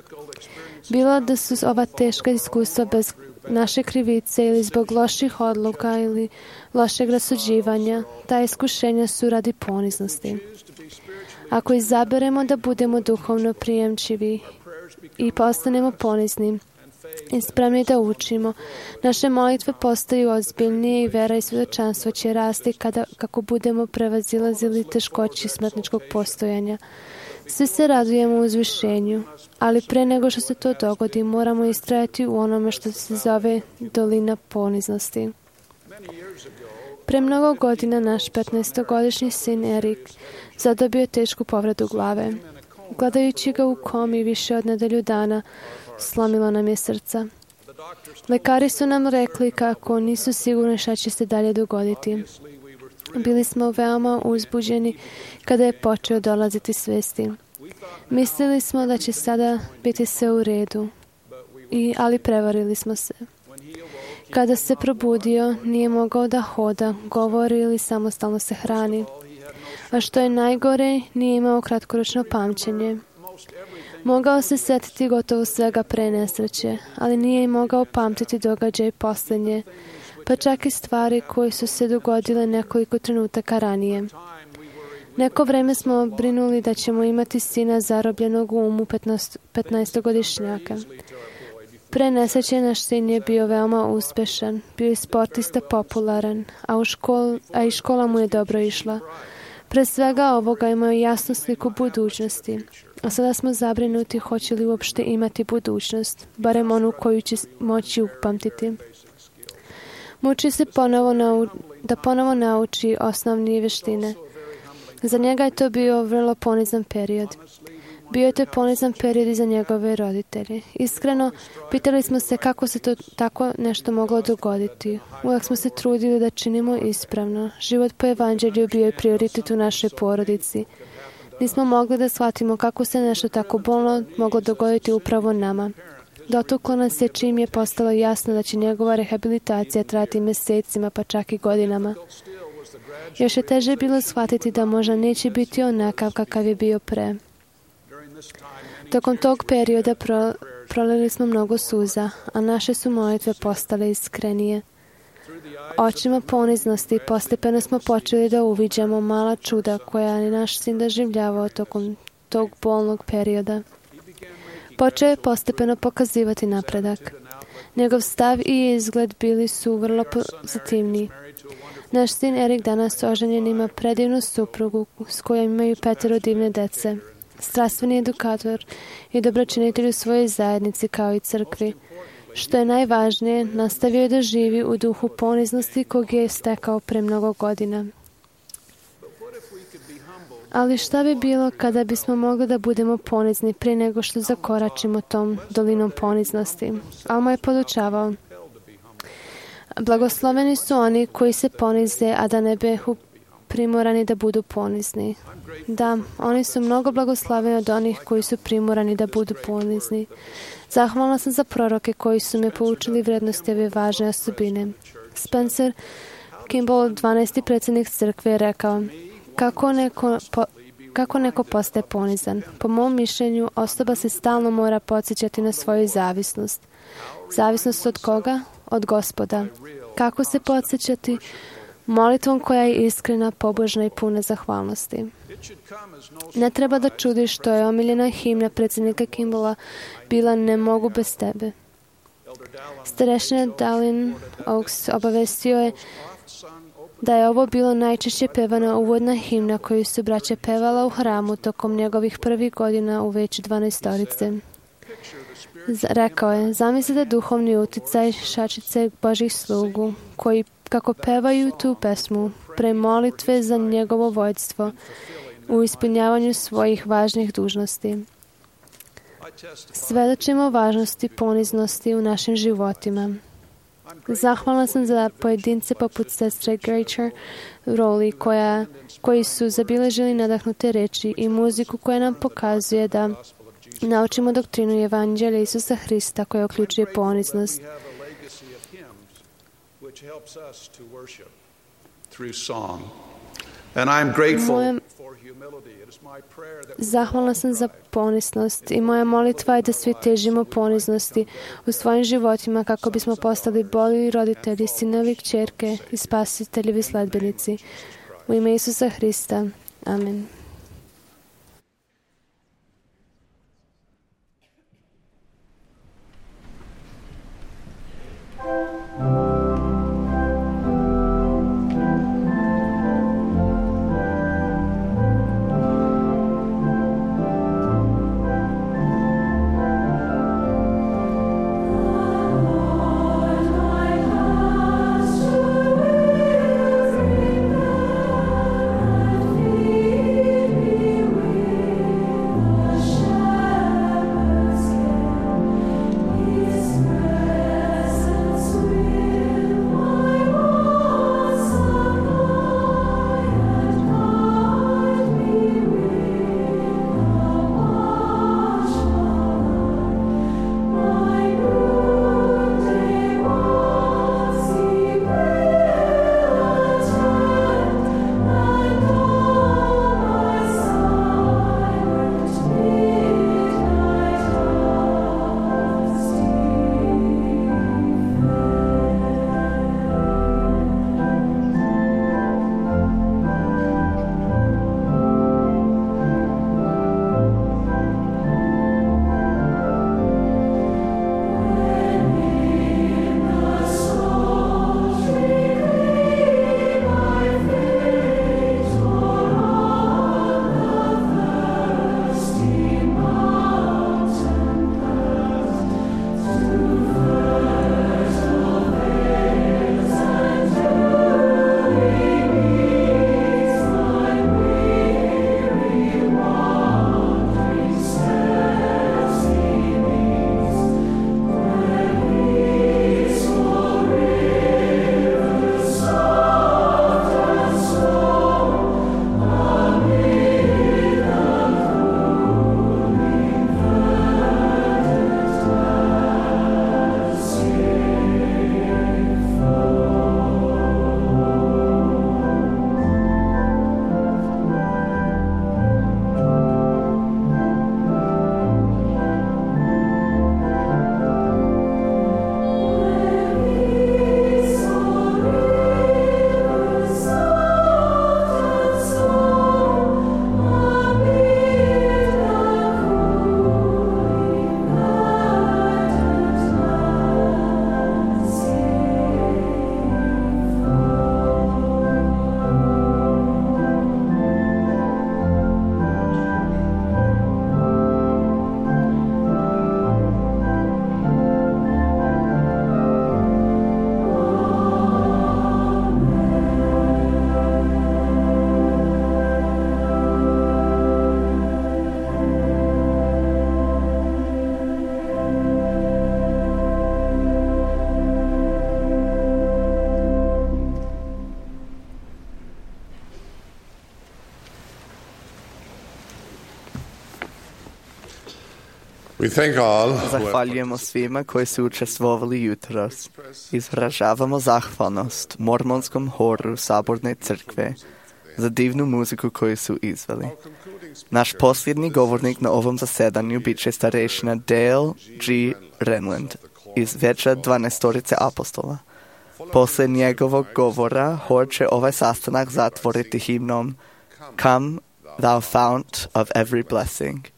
Bilo da su ova teška iskustva bez naše krivice ili zbog loših odluka ili lošeg rasuđivanja, ta iskušenja su radi poniznosti. Ako izaberemo da budemo duhovno prijemčivi i postanemo ponizni i spremni da učimo, naše molitve postaju ozbiljnije i vera i svjedočanstvo će rasti kako budemo prevazilazili teškoći smrtničkog postojanja. Svi se radujemo u uzvišenju, ali pre nego što se to dogodi, moramo istrajati u onome što se zove dolina poniznosti. Pre mnogo godina naš 15-godišnji sin Erik zadobio tešku povredu glave. Gledajući ga u komi više od nedelju dana, slomilo nam je srca. Lekari su nam rekli kako nisu sigurni šta će se dalje dogoditi. Bili smo veoma uzbuđeni kada je počeo dolaziti svesti. Mislili smo da će sada biti sve u redu, ali prevarili smo se. Kada se probudio, nije mogao da hoda, govori ili samostalno se hrani. A što je najgore, nije imao kratkoročno pamćenje. Mogao se setiti gotovo svega pre nesreće, ali nije mogao pamtiti događaj posljednje, pa čak i stvari koje su se dogodile nekoliko trenutaka ranije. Neko vreme smo brinuli da ćemo imati sina zarobljenog u umu 15-godišnjaka. Pre nesreće naš sin je bio veoma uspešan, bio je sportista popularan, a i škola mu je dobro išla. Pre svega ovoga imao jasnu sliku budućnosti, a sada smo zabrinuti hoće li uopšte imati budućnost, barem onu koju će moći upamtiti. Muči se da ponovo nauči osnovne vještine. Za njega je to bio vrlo ponizan period. Bio je to ponizan period i za njegove roditelje. Iskreno, pitali smo se kako se to tako nešto moglo dogoditi. Uvijek smo se trudili da činimo ispravno. Život po evanđelju bio je prioritet u našoj porodici. Nismo mogli da shvatimo kako se nešto tako bolno moglo dogoditi upravo nama. Dotuklo nas je čim je postalo jasno da će njegova rehabilitacija trajati mjesecima, pa čak i godinama. Još je teže bilo shvatiti da možda neće biti onakav kakav je bio pre. Tokom tog perioda prolili smo mnogo suza, a naše su molitve postale iskrenije. Očima poniznosti postepeno smo počeli da uviđamo mala čuda koja je naš sin doživljavao tokom tog bolnog perioda. Počeo je postepeno pokazivati napredak. Njegov stav i izgled bili su vrlo pozitivni. Naš sin Erik danas oženjen ima predivnu suprugu s kojom imaju 5 divne dece. Strastveni edukator i dobročinitelj u svojoj zajednici kao i crkvi. Što je najvažnije, nastavio je da živi u duhu poniznosti kog je stekao pre mnogo godina. Ali šta bi bilo kada bismo mogli da budemo ponizni prije nego što zakoračimo tom dolinom poniznosti? Alma je podučavao: blagosloveni su oni koji se ponize, a da ne behu primorani da budu ponizni. Da, oni su mnogo blagosloveni od onih koji su primorani da budu ponizni. Zahvalna sam za proroke koji su me poučili vrednosti ove važne osobine. Spencer Kimball, 12. predsjednik crkve, je rekao: kako neko postaje ponizan? Po mom mišljenju, osoba se stalno mora podsjećati na svoju zavisnost. Zavisnost od koga? Od Gospoda. Kako se podsjećati? Molitvom koja je iskrena, pobožna i puna zahvalnosti. Ne treba da čudi što je omiljena himna predsjednika Kimballa bila Ne mogu bez tebe. Starešina Dallin Oaks obavestio je da je ovo bilo najčešće pevana uvodna himna koju su braća pevala u hramu tokom njegovih prvih godina u već 12-torice. Rekao je: zamislite duhovni uticaj šačice Božih slugu koji kako pevaju tu pesmu pre molitve za njegovo vođstvo u ispunjavanju svojih važnih dužnosti. Svedočimo važnosti poniznosti u našim životima. Zahvalna sam za pojedince poput sestre Gretchen Rowley koji su zabilježili nadahnute reči i muziku koja nam pokazuje da naučimo doktrinu Evanđelja Isusa Hrista koja uključuje poniznost. And I'm grateful for humility. It is my prayer that Zahvalna sam za poniznost i moja molitva je da svi težimo poniznosti u svojim životima kako bismo postali bolji roditelji, sinovi, kćerke i spasiteljevi sledbenici. U ime Isusa Hrista. Amen. Zahvaljujemo svima koji su učestvovali jutros. Izražavamo zahvalnost Mormonskom horu Saborne crkve za divnu muziku koju su izveli. Naš posljednji govornik na ovom zasedanju bit će starešina Dale G. Renland iz Veća 12 apostola. Posle njegovog govora hor će ovaj sastanak zatvoriti himnom Come, thou fount of every blessing.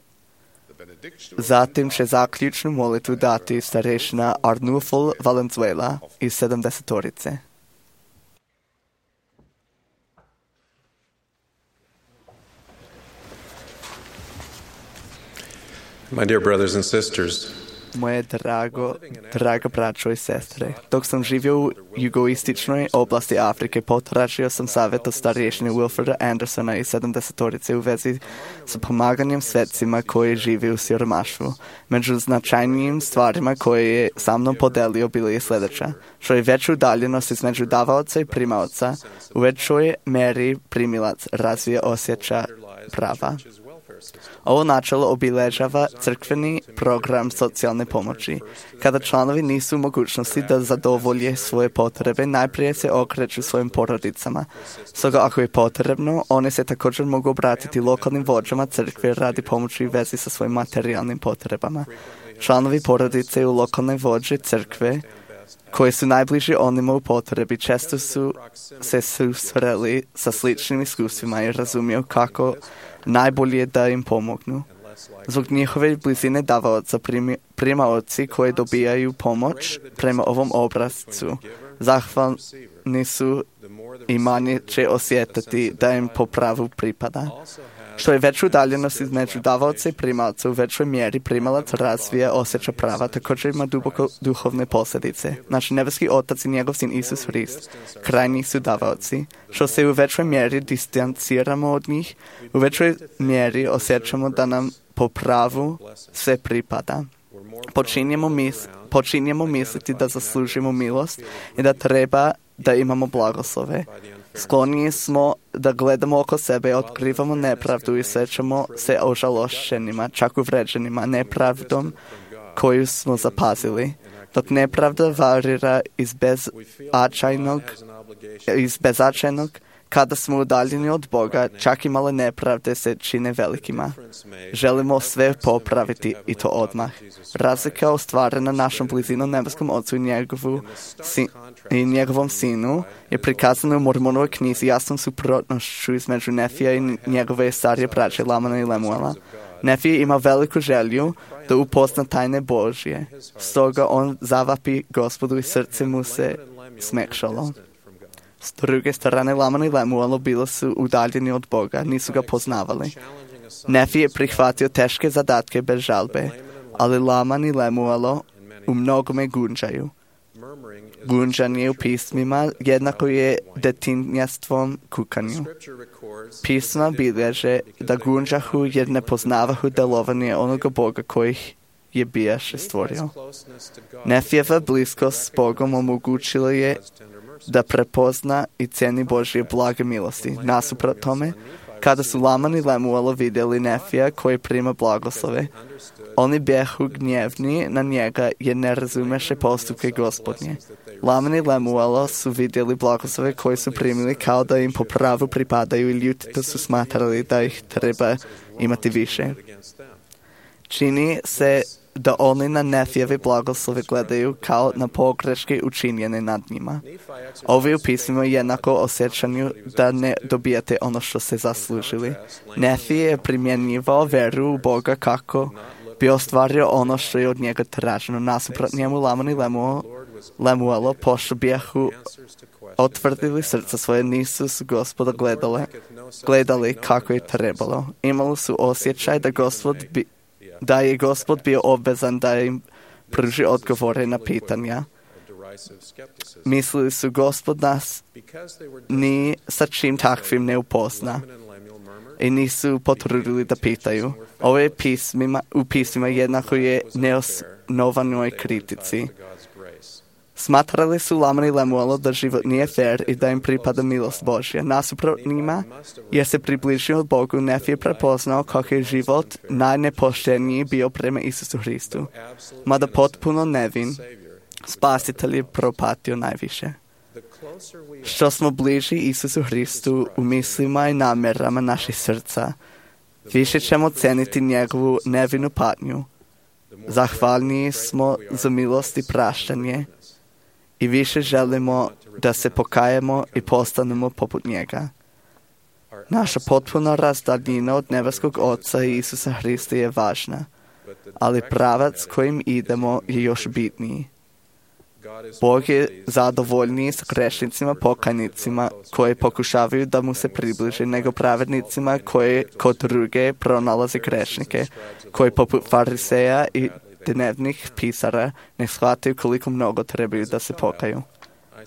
Zatim će zaključnu molitvu dati starešina Arnulfo Valenzuela iz 70. My dear brothers and sisters, Moje draga braćo i sestre, dok sam živio u jugoističnoj oblasti Afrike, potražio sam savjet od starješine Wilforda Andersona iz 70. u vezi sa pomaganjem svetcima koji žive u siromaštvu. Među značajnijim stvarima koje je sa mnom podelio bilo je sljedeća. Što je veću udaljenost između davaoca i primaoca, u većoj meri primilac razvija osjeća prava. Ovo načelo obilježava crkveni program socijalne pomoći. Kada članovi nisu u mogućnosti da zadovolje svoje potrebe, najprije se okreću svojim porodicama. Stoga ako je potrebno, one se također mogu obratiti lokalnim vođama crkve radi pomoći u vezi sa svojim materijalnim potrebama. Članovi porodice u lokalne vođe crkve koji su najbliži onima u potrebi često su se susreli sa sličnim iskustvima i razumiju kako najbolje da im pomognu. Zbog njihove blizine davaoca primaoci koji dobijaju pomoć prema ovom obrascu zahvalni su i manje će osjetiti da im po pravu pripada. Što je veću udaljenost između davaoca i primalca, u većoj mjeri primalac razvija osjeća prava, također ima duboko duhovne posljedice. Naš nebeski Otac i njegov sin Isus Hrist, krajnji su davaoci. Što se u većoj mjeri distanciramo od njih, u većoj mjeri osjećamo da nam po pravu sve pripada. Počinjemo misliti da zaslužimo milost i da treba da imamo blagoslove. Skloniji smo da gledamo oko sebe, otkrivamo nepravdu i osjećamo se ožalošćenima, čak uvređenima nepravdom koju smo zapazili. Dok nepravda varira iz bezačajnog, kada smo udaljeni od Boga, čak i male nepravde se čine velikima. Želimo sve popraviti i to odmah. Razlika ostvarena našom blizinom nebeskom Ocu i njegovom Sinu je prikazana u Mormonovoj knjizi jasnom suprotnošću između Nefija i njegove starije braće Lamana i Lemuela. Nefije ima veliku želju da upozna tajne Božje. Stoga on zavapi Gospodu i srce mu se smekšalo. S druge strane, Laman i Lemuel bili su udaljeni od Boga, nisu ga poznavali. Nefi je prihvatio teške zadatke bez žalbe, ali Laman i Lemuel u mnogome gunđaju. Gunđanje u pismima jednako je detinjastvom kukanju. Pisma bilježe da gunđahu jer ne poznavahu delovanje onoga Boga kojih je bijaše stvorio. Nefijeva bliskost s Bogom omogućila je da prepozna i ceni Božje blage milosti. Nasuprot tome, kada su Laman i Lemuel vidjeli Nefija koji prima blagoslove, oni bjehu gnjevni na njega jer ne razumeše postupke Gospodnje. Laman i Lemuel su vidjeli blagoslove koji su primili kao da im po pravu pripadaju i ljutito su smatrali da ih treba imati više. Čini se da oni na Nefijeve blagoslove gledaju kao na pogreške učinjene nad njima. Ovi u pismima jednako osjećanju da ne dobijate ono što ste zaslužili. Nefije je primjenjivao veru u Boga kako bi ostvario ono što je od njega traženo. Nasuprot njemu Laman i Lemuel, pošto bijahu otvrdili srca svoje, nisu su Gospoda gledali kako je trebalo. Imali su osjećaj da je Gospod bio obvezan da im pruži odgovore na pitanja. Mislili su Gospod nas ni sa čim takvim ne upozna i nisu potrudili da pitaju. Ovo je u pismima jednako je neosnovanoj kritici. Smatrali su Laman i Lemuel da život nije fair i da im pripada milost Božja. Nasuprot njima, jer se približio Bogu, Nefi je prepoznao kako je život najnepošteniji bio prema Isusu Hristu. Mada potpuno nevin, Spasitelj je propatio najviše. Što smo bliži Isusu Hristu u mislima i namjerama naših srca, više ćemo ceniti njegovu nevinu patnju. Zahvalniji smo za milost i praštanje i više želimo da se pokajemo i postanemo poput njega. Naša potpuna razdaljina od nebeskog Oca i Isusa Hrista je važna, ali pravac kojim idemo je još bitniji. Bog je zadovoljniji s grešnicima, pokajnicima koji pokušavaju da mu se približe, nego pravednicima koji kod druge pronalaze grešnike, koji poput fariseja i dnevnih pisara ne shvataju koliko mnogo trebaju da se pokaju.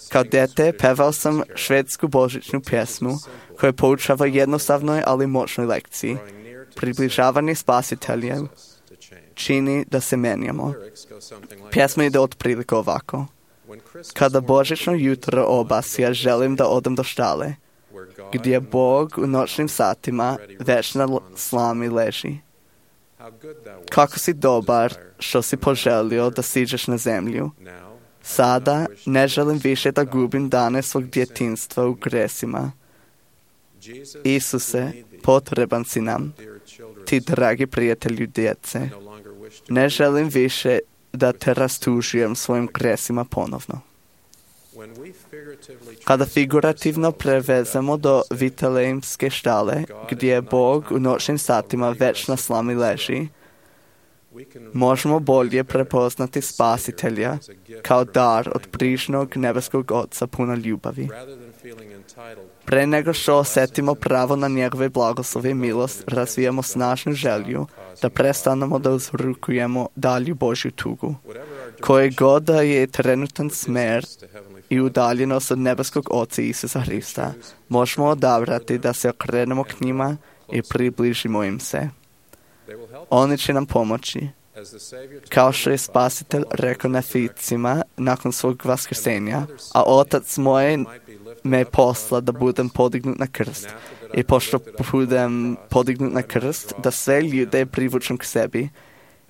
Kao dete pevao sam švedsku božićnu pjesmu koja poučava jednostavnoj ali moćnoj lekciji. Približavanje Spasiteljem čini da se menjamo. Pjesma ide otprilike ovako. Kada božićno jutro obasja, želim da odem do štale. gdje Bog u noćnim satima već na slami leži. Kako si dobar što si poželio da siđeš na zemlju. Sada ne želim više da gubim dane svog djetinjstva u gresima. Isuse, potreban si nam, ti dragi prijatelju djece. Ne želim više da te rastužujem svojim gresima ponovno. Kada figurativno prevezemo do Vitalejmske štale, gdje Bog u noćnim satima već na slami leži, možemo bolje prepoznati Spasitelja kao dar od brižnog nebeskog Oca puna ljubavi. Pre nego što osjetimo pravo na njegove blagoslove i milost, razvijamo snažnu želju da prestanemo da uzrukujemo dalju Božju tugu. Koje god da je trenutan smer i udaljenost od nebeskog Oca Isusa Hrista, možemo odabrati da se okrenemo k njima i približimo im se. Oni će nam pomoći. Kao što je Spasitelj rekao Neficima nakon svog vaskrsenja, a Otac moj me posla da budem podignut na krst. I pošto budem podignut na krst, da sve ljude privučem k sebi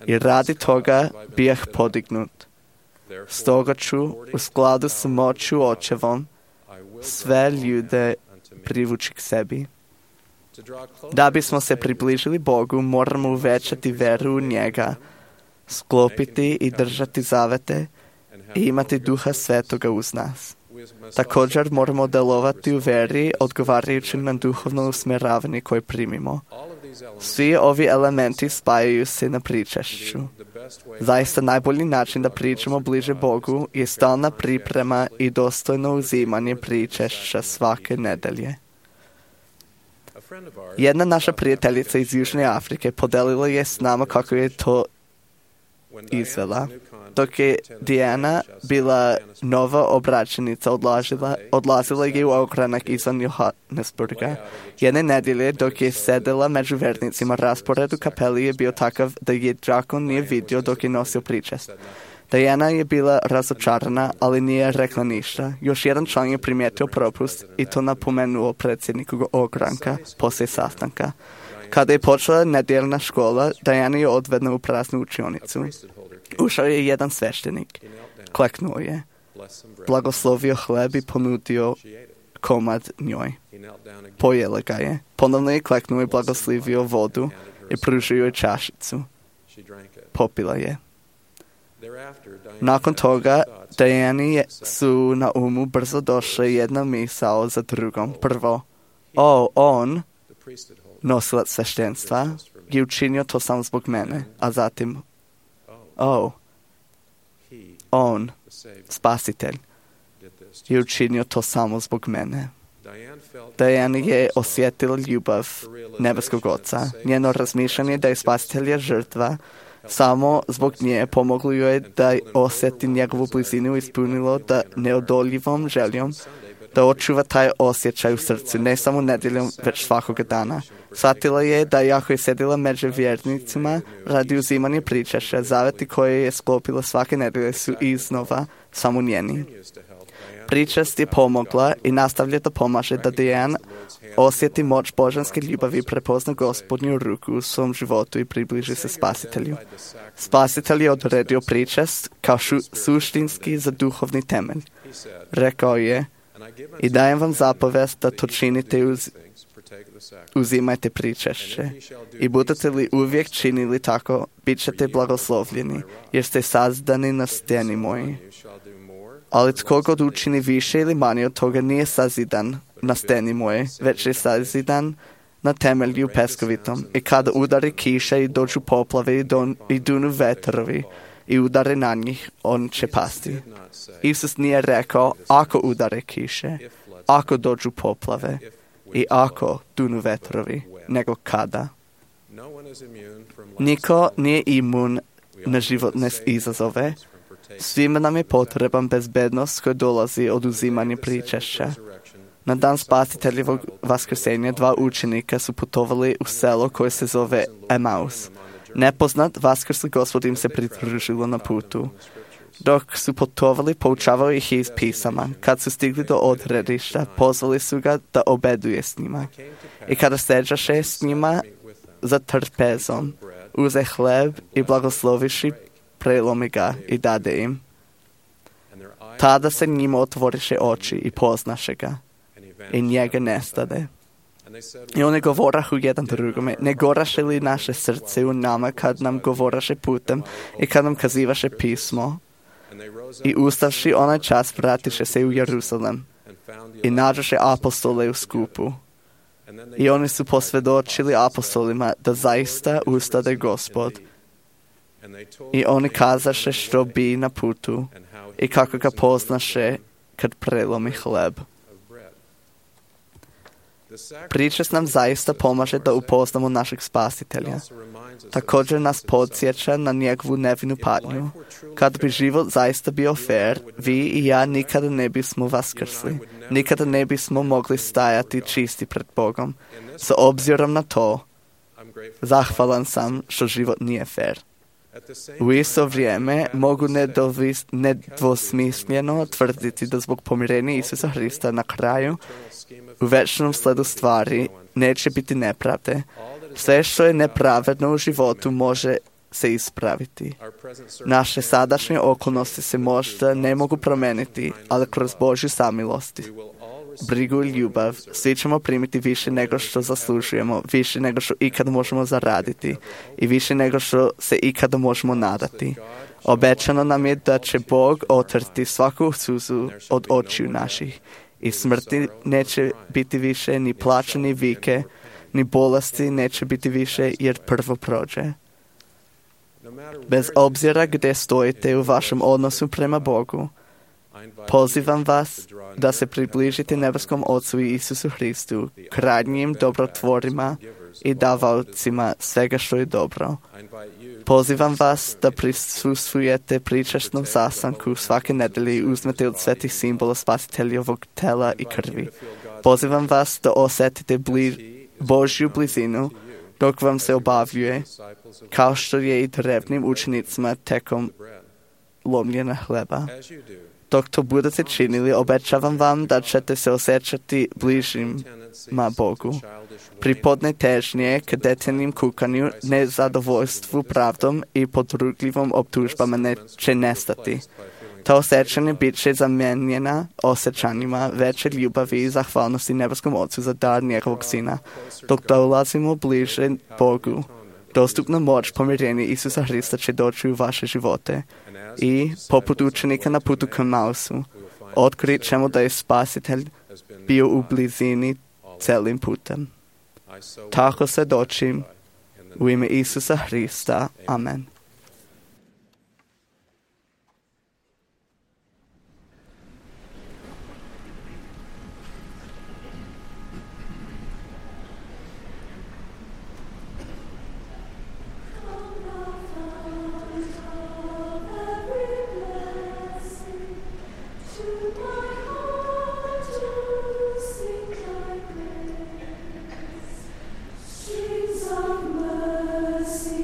i radi toga bijah podignut. Stoga ću u skladu s moću Očevom sve ljude privući k sebi. Da bismo se približili Bogu, moramo uvećati veru u njega, sklopiti i držati zavete i imati Duha Svetoga uz nas. Također moramo delovati u veri odgovarajući na duhovno usmjeravanje koje primimo. Svi ovi elementi spajaju se na pričešću. Zaista najbolji način da pričamo bliže Bogu je stalna priprema i dostojno uzimanje pričešća svake nedelje. Jedna naša prijateljica iz Južne Afrike podelila je s nama kako je to izvela. Dok je Diana bila nova obraćenica, odlazila je u ogranak izvan Johannesburga. Jedne nedjelje, dok je sedela među vernicima, raspored u kapeli je bio takav da je đakon nije vidio dok je nosio pričest. Diana je bila razočarana, ali nije rekla ništa. Još jedan član je primijetio propust i to napomenuo predsjedniku ogranka poslije sastanka. Kada je počela nedjeljna škola, Diana je odvedena u praznu učionicu. Ušao je jedan sveštenik. Kleknuo je. Blagoslovio hleb i ponudio komad njoj. Pojela ga je. Ponovno je kleknuo i blagoslovio vodu i pružio je čašicu. Popila je. Nakon toga, Diani su na umu brzo došle jedna misao za drugom. Prvo, on, nosilac sveštenstva, je učinio to samo zbog mene, a zatim, on, Spasitelj, je učinio to samo zbog mene. Diana je osjetila ljubav nebeskog Oca. Njeno razmišljanje da je Spasitelj žrtva samo zbog nje pomoglo joj da osjeti njegovu blizinu i ispunilo da neodoljivom željom da očuva taj osjećaj u srcu, ne samo nedjeljom, već svakoga dana. Shvatila je da jako je sedila među vjernicima radi uzimanja pričešća, zaveti koje je sklopila svake nedelje su iznova samo njeni. Pričest je pomogla i nastavlja da pomaže da Diana osjeti moć božanske ljubavi i prepozna Gospodnju ruku u svom životu i približi se Spasitelju. Spasitelj je odredio pričest kao suštinski za duhovni temelj. Rekao je, i dajem vam zapovest da to činite uzimajte pričešće. I budete li uvijek činili tako, bit ćete blagoslovljeni, jer ste sazdani na steni moji. Ali tko god učini više ili manje od toga nije sazidan na steni moje, već je sazidan na temelju peskovitom. I kada udari kiša i dođu poplave i dunu vetrovi i udare na njih, on će pasti. Isus nije rekao ako udare kiše, ako dođu poplave i ako dunu vetrovi, nego kada. Niko nije imun na životne izazove. Svima nam je potreban bezbednost koja dolazi od uzimanja pričešća. Na dan Spasiteljevog vaskrsenja 2 učenika su putovali u selo koje se zove Emaus. Nepoznat vaskrsli Gospod im se pridružilo na putu. Dok su putovali, poučavao ih iz pisama. Kad su stigli do odredišta, pozvali su ga da obeduje s njima. I kada seđaše s njima za trpezom, uze hleb i blagosloviši, prelomi ga i dade im. Tada se njima otvoriše oči i poznaše ga. I njega nestade. I oni govorahu jedan drugome, ne goraše li naše srce u nama kad nam govoraše putem i kad nam kazivaše pismo? I ustavši onaj čas vratiše se u Jerusalem i nađoše apostole u skupu. I oni su posvjedočili apostolima da zaista ustade Gospod. I oni kazaše što bi na putu i kako ga poznaše kad prelomi hleb. Priča nam zaista pomaže da upoznamo našeg spasitelja. Također nas podsjeća na njegovu nevinu patnju. Kad bi život zaista bio fair, vi i ja nikada ne bismo vaskrsli. Nikada ne bismo mogli stajati čisti pred Bogom. S obzirom na to, zahvalan sam što život nije fair. U isto vrijeme mogu nedvosmisleno tvrditi da zbog pomirenja Isusa Hrista na kraju u večnom sledu stvari neće biti nepravde. Sve što je nepravedno u životu može se ispraviti. Naše sadašnje okolnosti se možda ne mogu promeniti, ali kroz Božju samilost, brigu i ljubav, svi ćemo primiti više nego što zaslužujemo, više nego što ikada možemo zaraditi i više nego što se ikada možemo nadati. Obećano nam je da će Bog otrti svaku suzu od očiju naših i smrti neće biti više, ni plaća, ni vike, ni bolesti neće biti više jer prvo prođe. Bez obzira gdje stojite u vašem odnosu prema Bogu, pozivam vas da se približite nebeskom Ocu i Isusu Hristu, krajnjim dobrotvorima i davaocima svega što je dobro. Pozivam vas da prisustvujete pričasnom sastanku svake nedelje i uzmete od svetih simbola spasiteljovog tela i krvi. Pozivam vas da osjetite Božju blizinu dok vam se obavljuje, kao što je i drevnim učenicima tekom lomljenja hleba. Dok to budete činili, obećavam vam da ćete se osjećati bližima Bogu. Pripodne težnje k detaljnim kukanju, nezadovoljstvu pravdom i podrugljivom optužbama neće nestati. To osjećanje bit će zamijenjena osjećanjima veće ljubavi i zahvalnosti nebeskom Ocu za dar njegovog Sina. Dok dolazimo bliže Bogu, dostupna moć pomirenja Isusa Hrista će doći u vaše živote. I, poput učenika na putu k Emausu, otkrit ćemo da je Spasitelj bio u blizini celim putem. Tako se dočim u ime Isusa Hrista. Amen. Streams of mercy.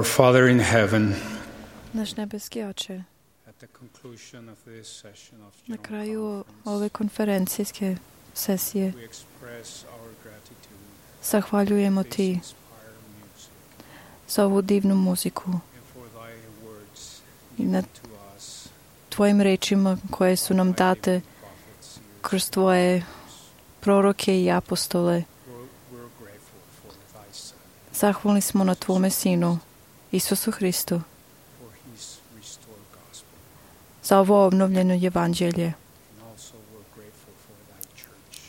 Our Father in heaven, Naš nebeski Oče, na kraju ove konferencijske sesije zahvaljujemo Ti za ovu divnu muziku i na Tvojim rečima koje su nam date kroz Tvoje proroke i apostole. Zahvalni smo na Tvome Sinu, Isusu Hristu, za ovo obnovljeno evanđelje.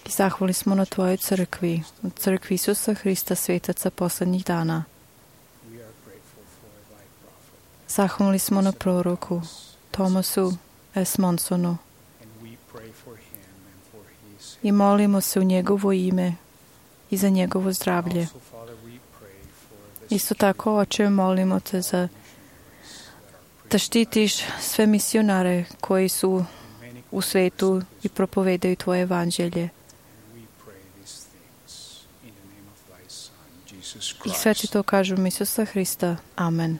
I zahvalni smo na Tvojoj crkvi, na crkvi Isusa Hrista, svetaca poslednjih dana. Zahvalni smo na proroku Thomasu S. Monsonu i molimo se u njegovo ime i za njegovo zdravlje. Isto tako, Oče, molimo Te da štitiš sve misionare koji su u svetu i propovedaju Tvoje evanđelje. I sve Ti to kažu u Isusa Hrista. Amen.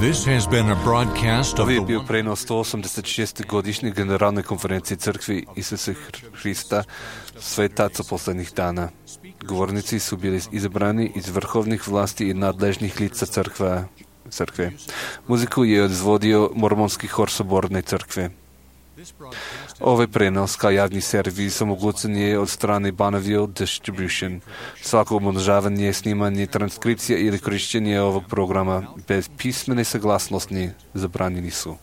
This has been a broadcast of Ovo je the bio prenos 186. godišnje generalne konferencije crkvi Isusa Hrista, svetaca poslednjih dana. Govornici su bili izabrani iz vrhovnih vlasti i nadležnih lica crkve. Muziku je izvodio mormonski hor Soborne crkve. Ovaj prenos kao javni servis omogućen je od strane Bonneville Distribution. Svako umnožavanje, snimanje, transkripcija ili korišćenje ovog programa bez pismene saglasnosti zabranjeni su.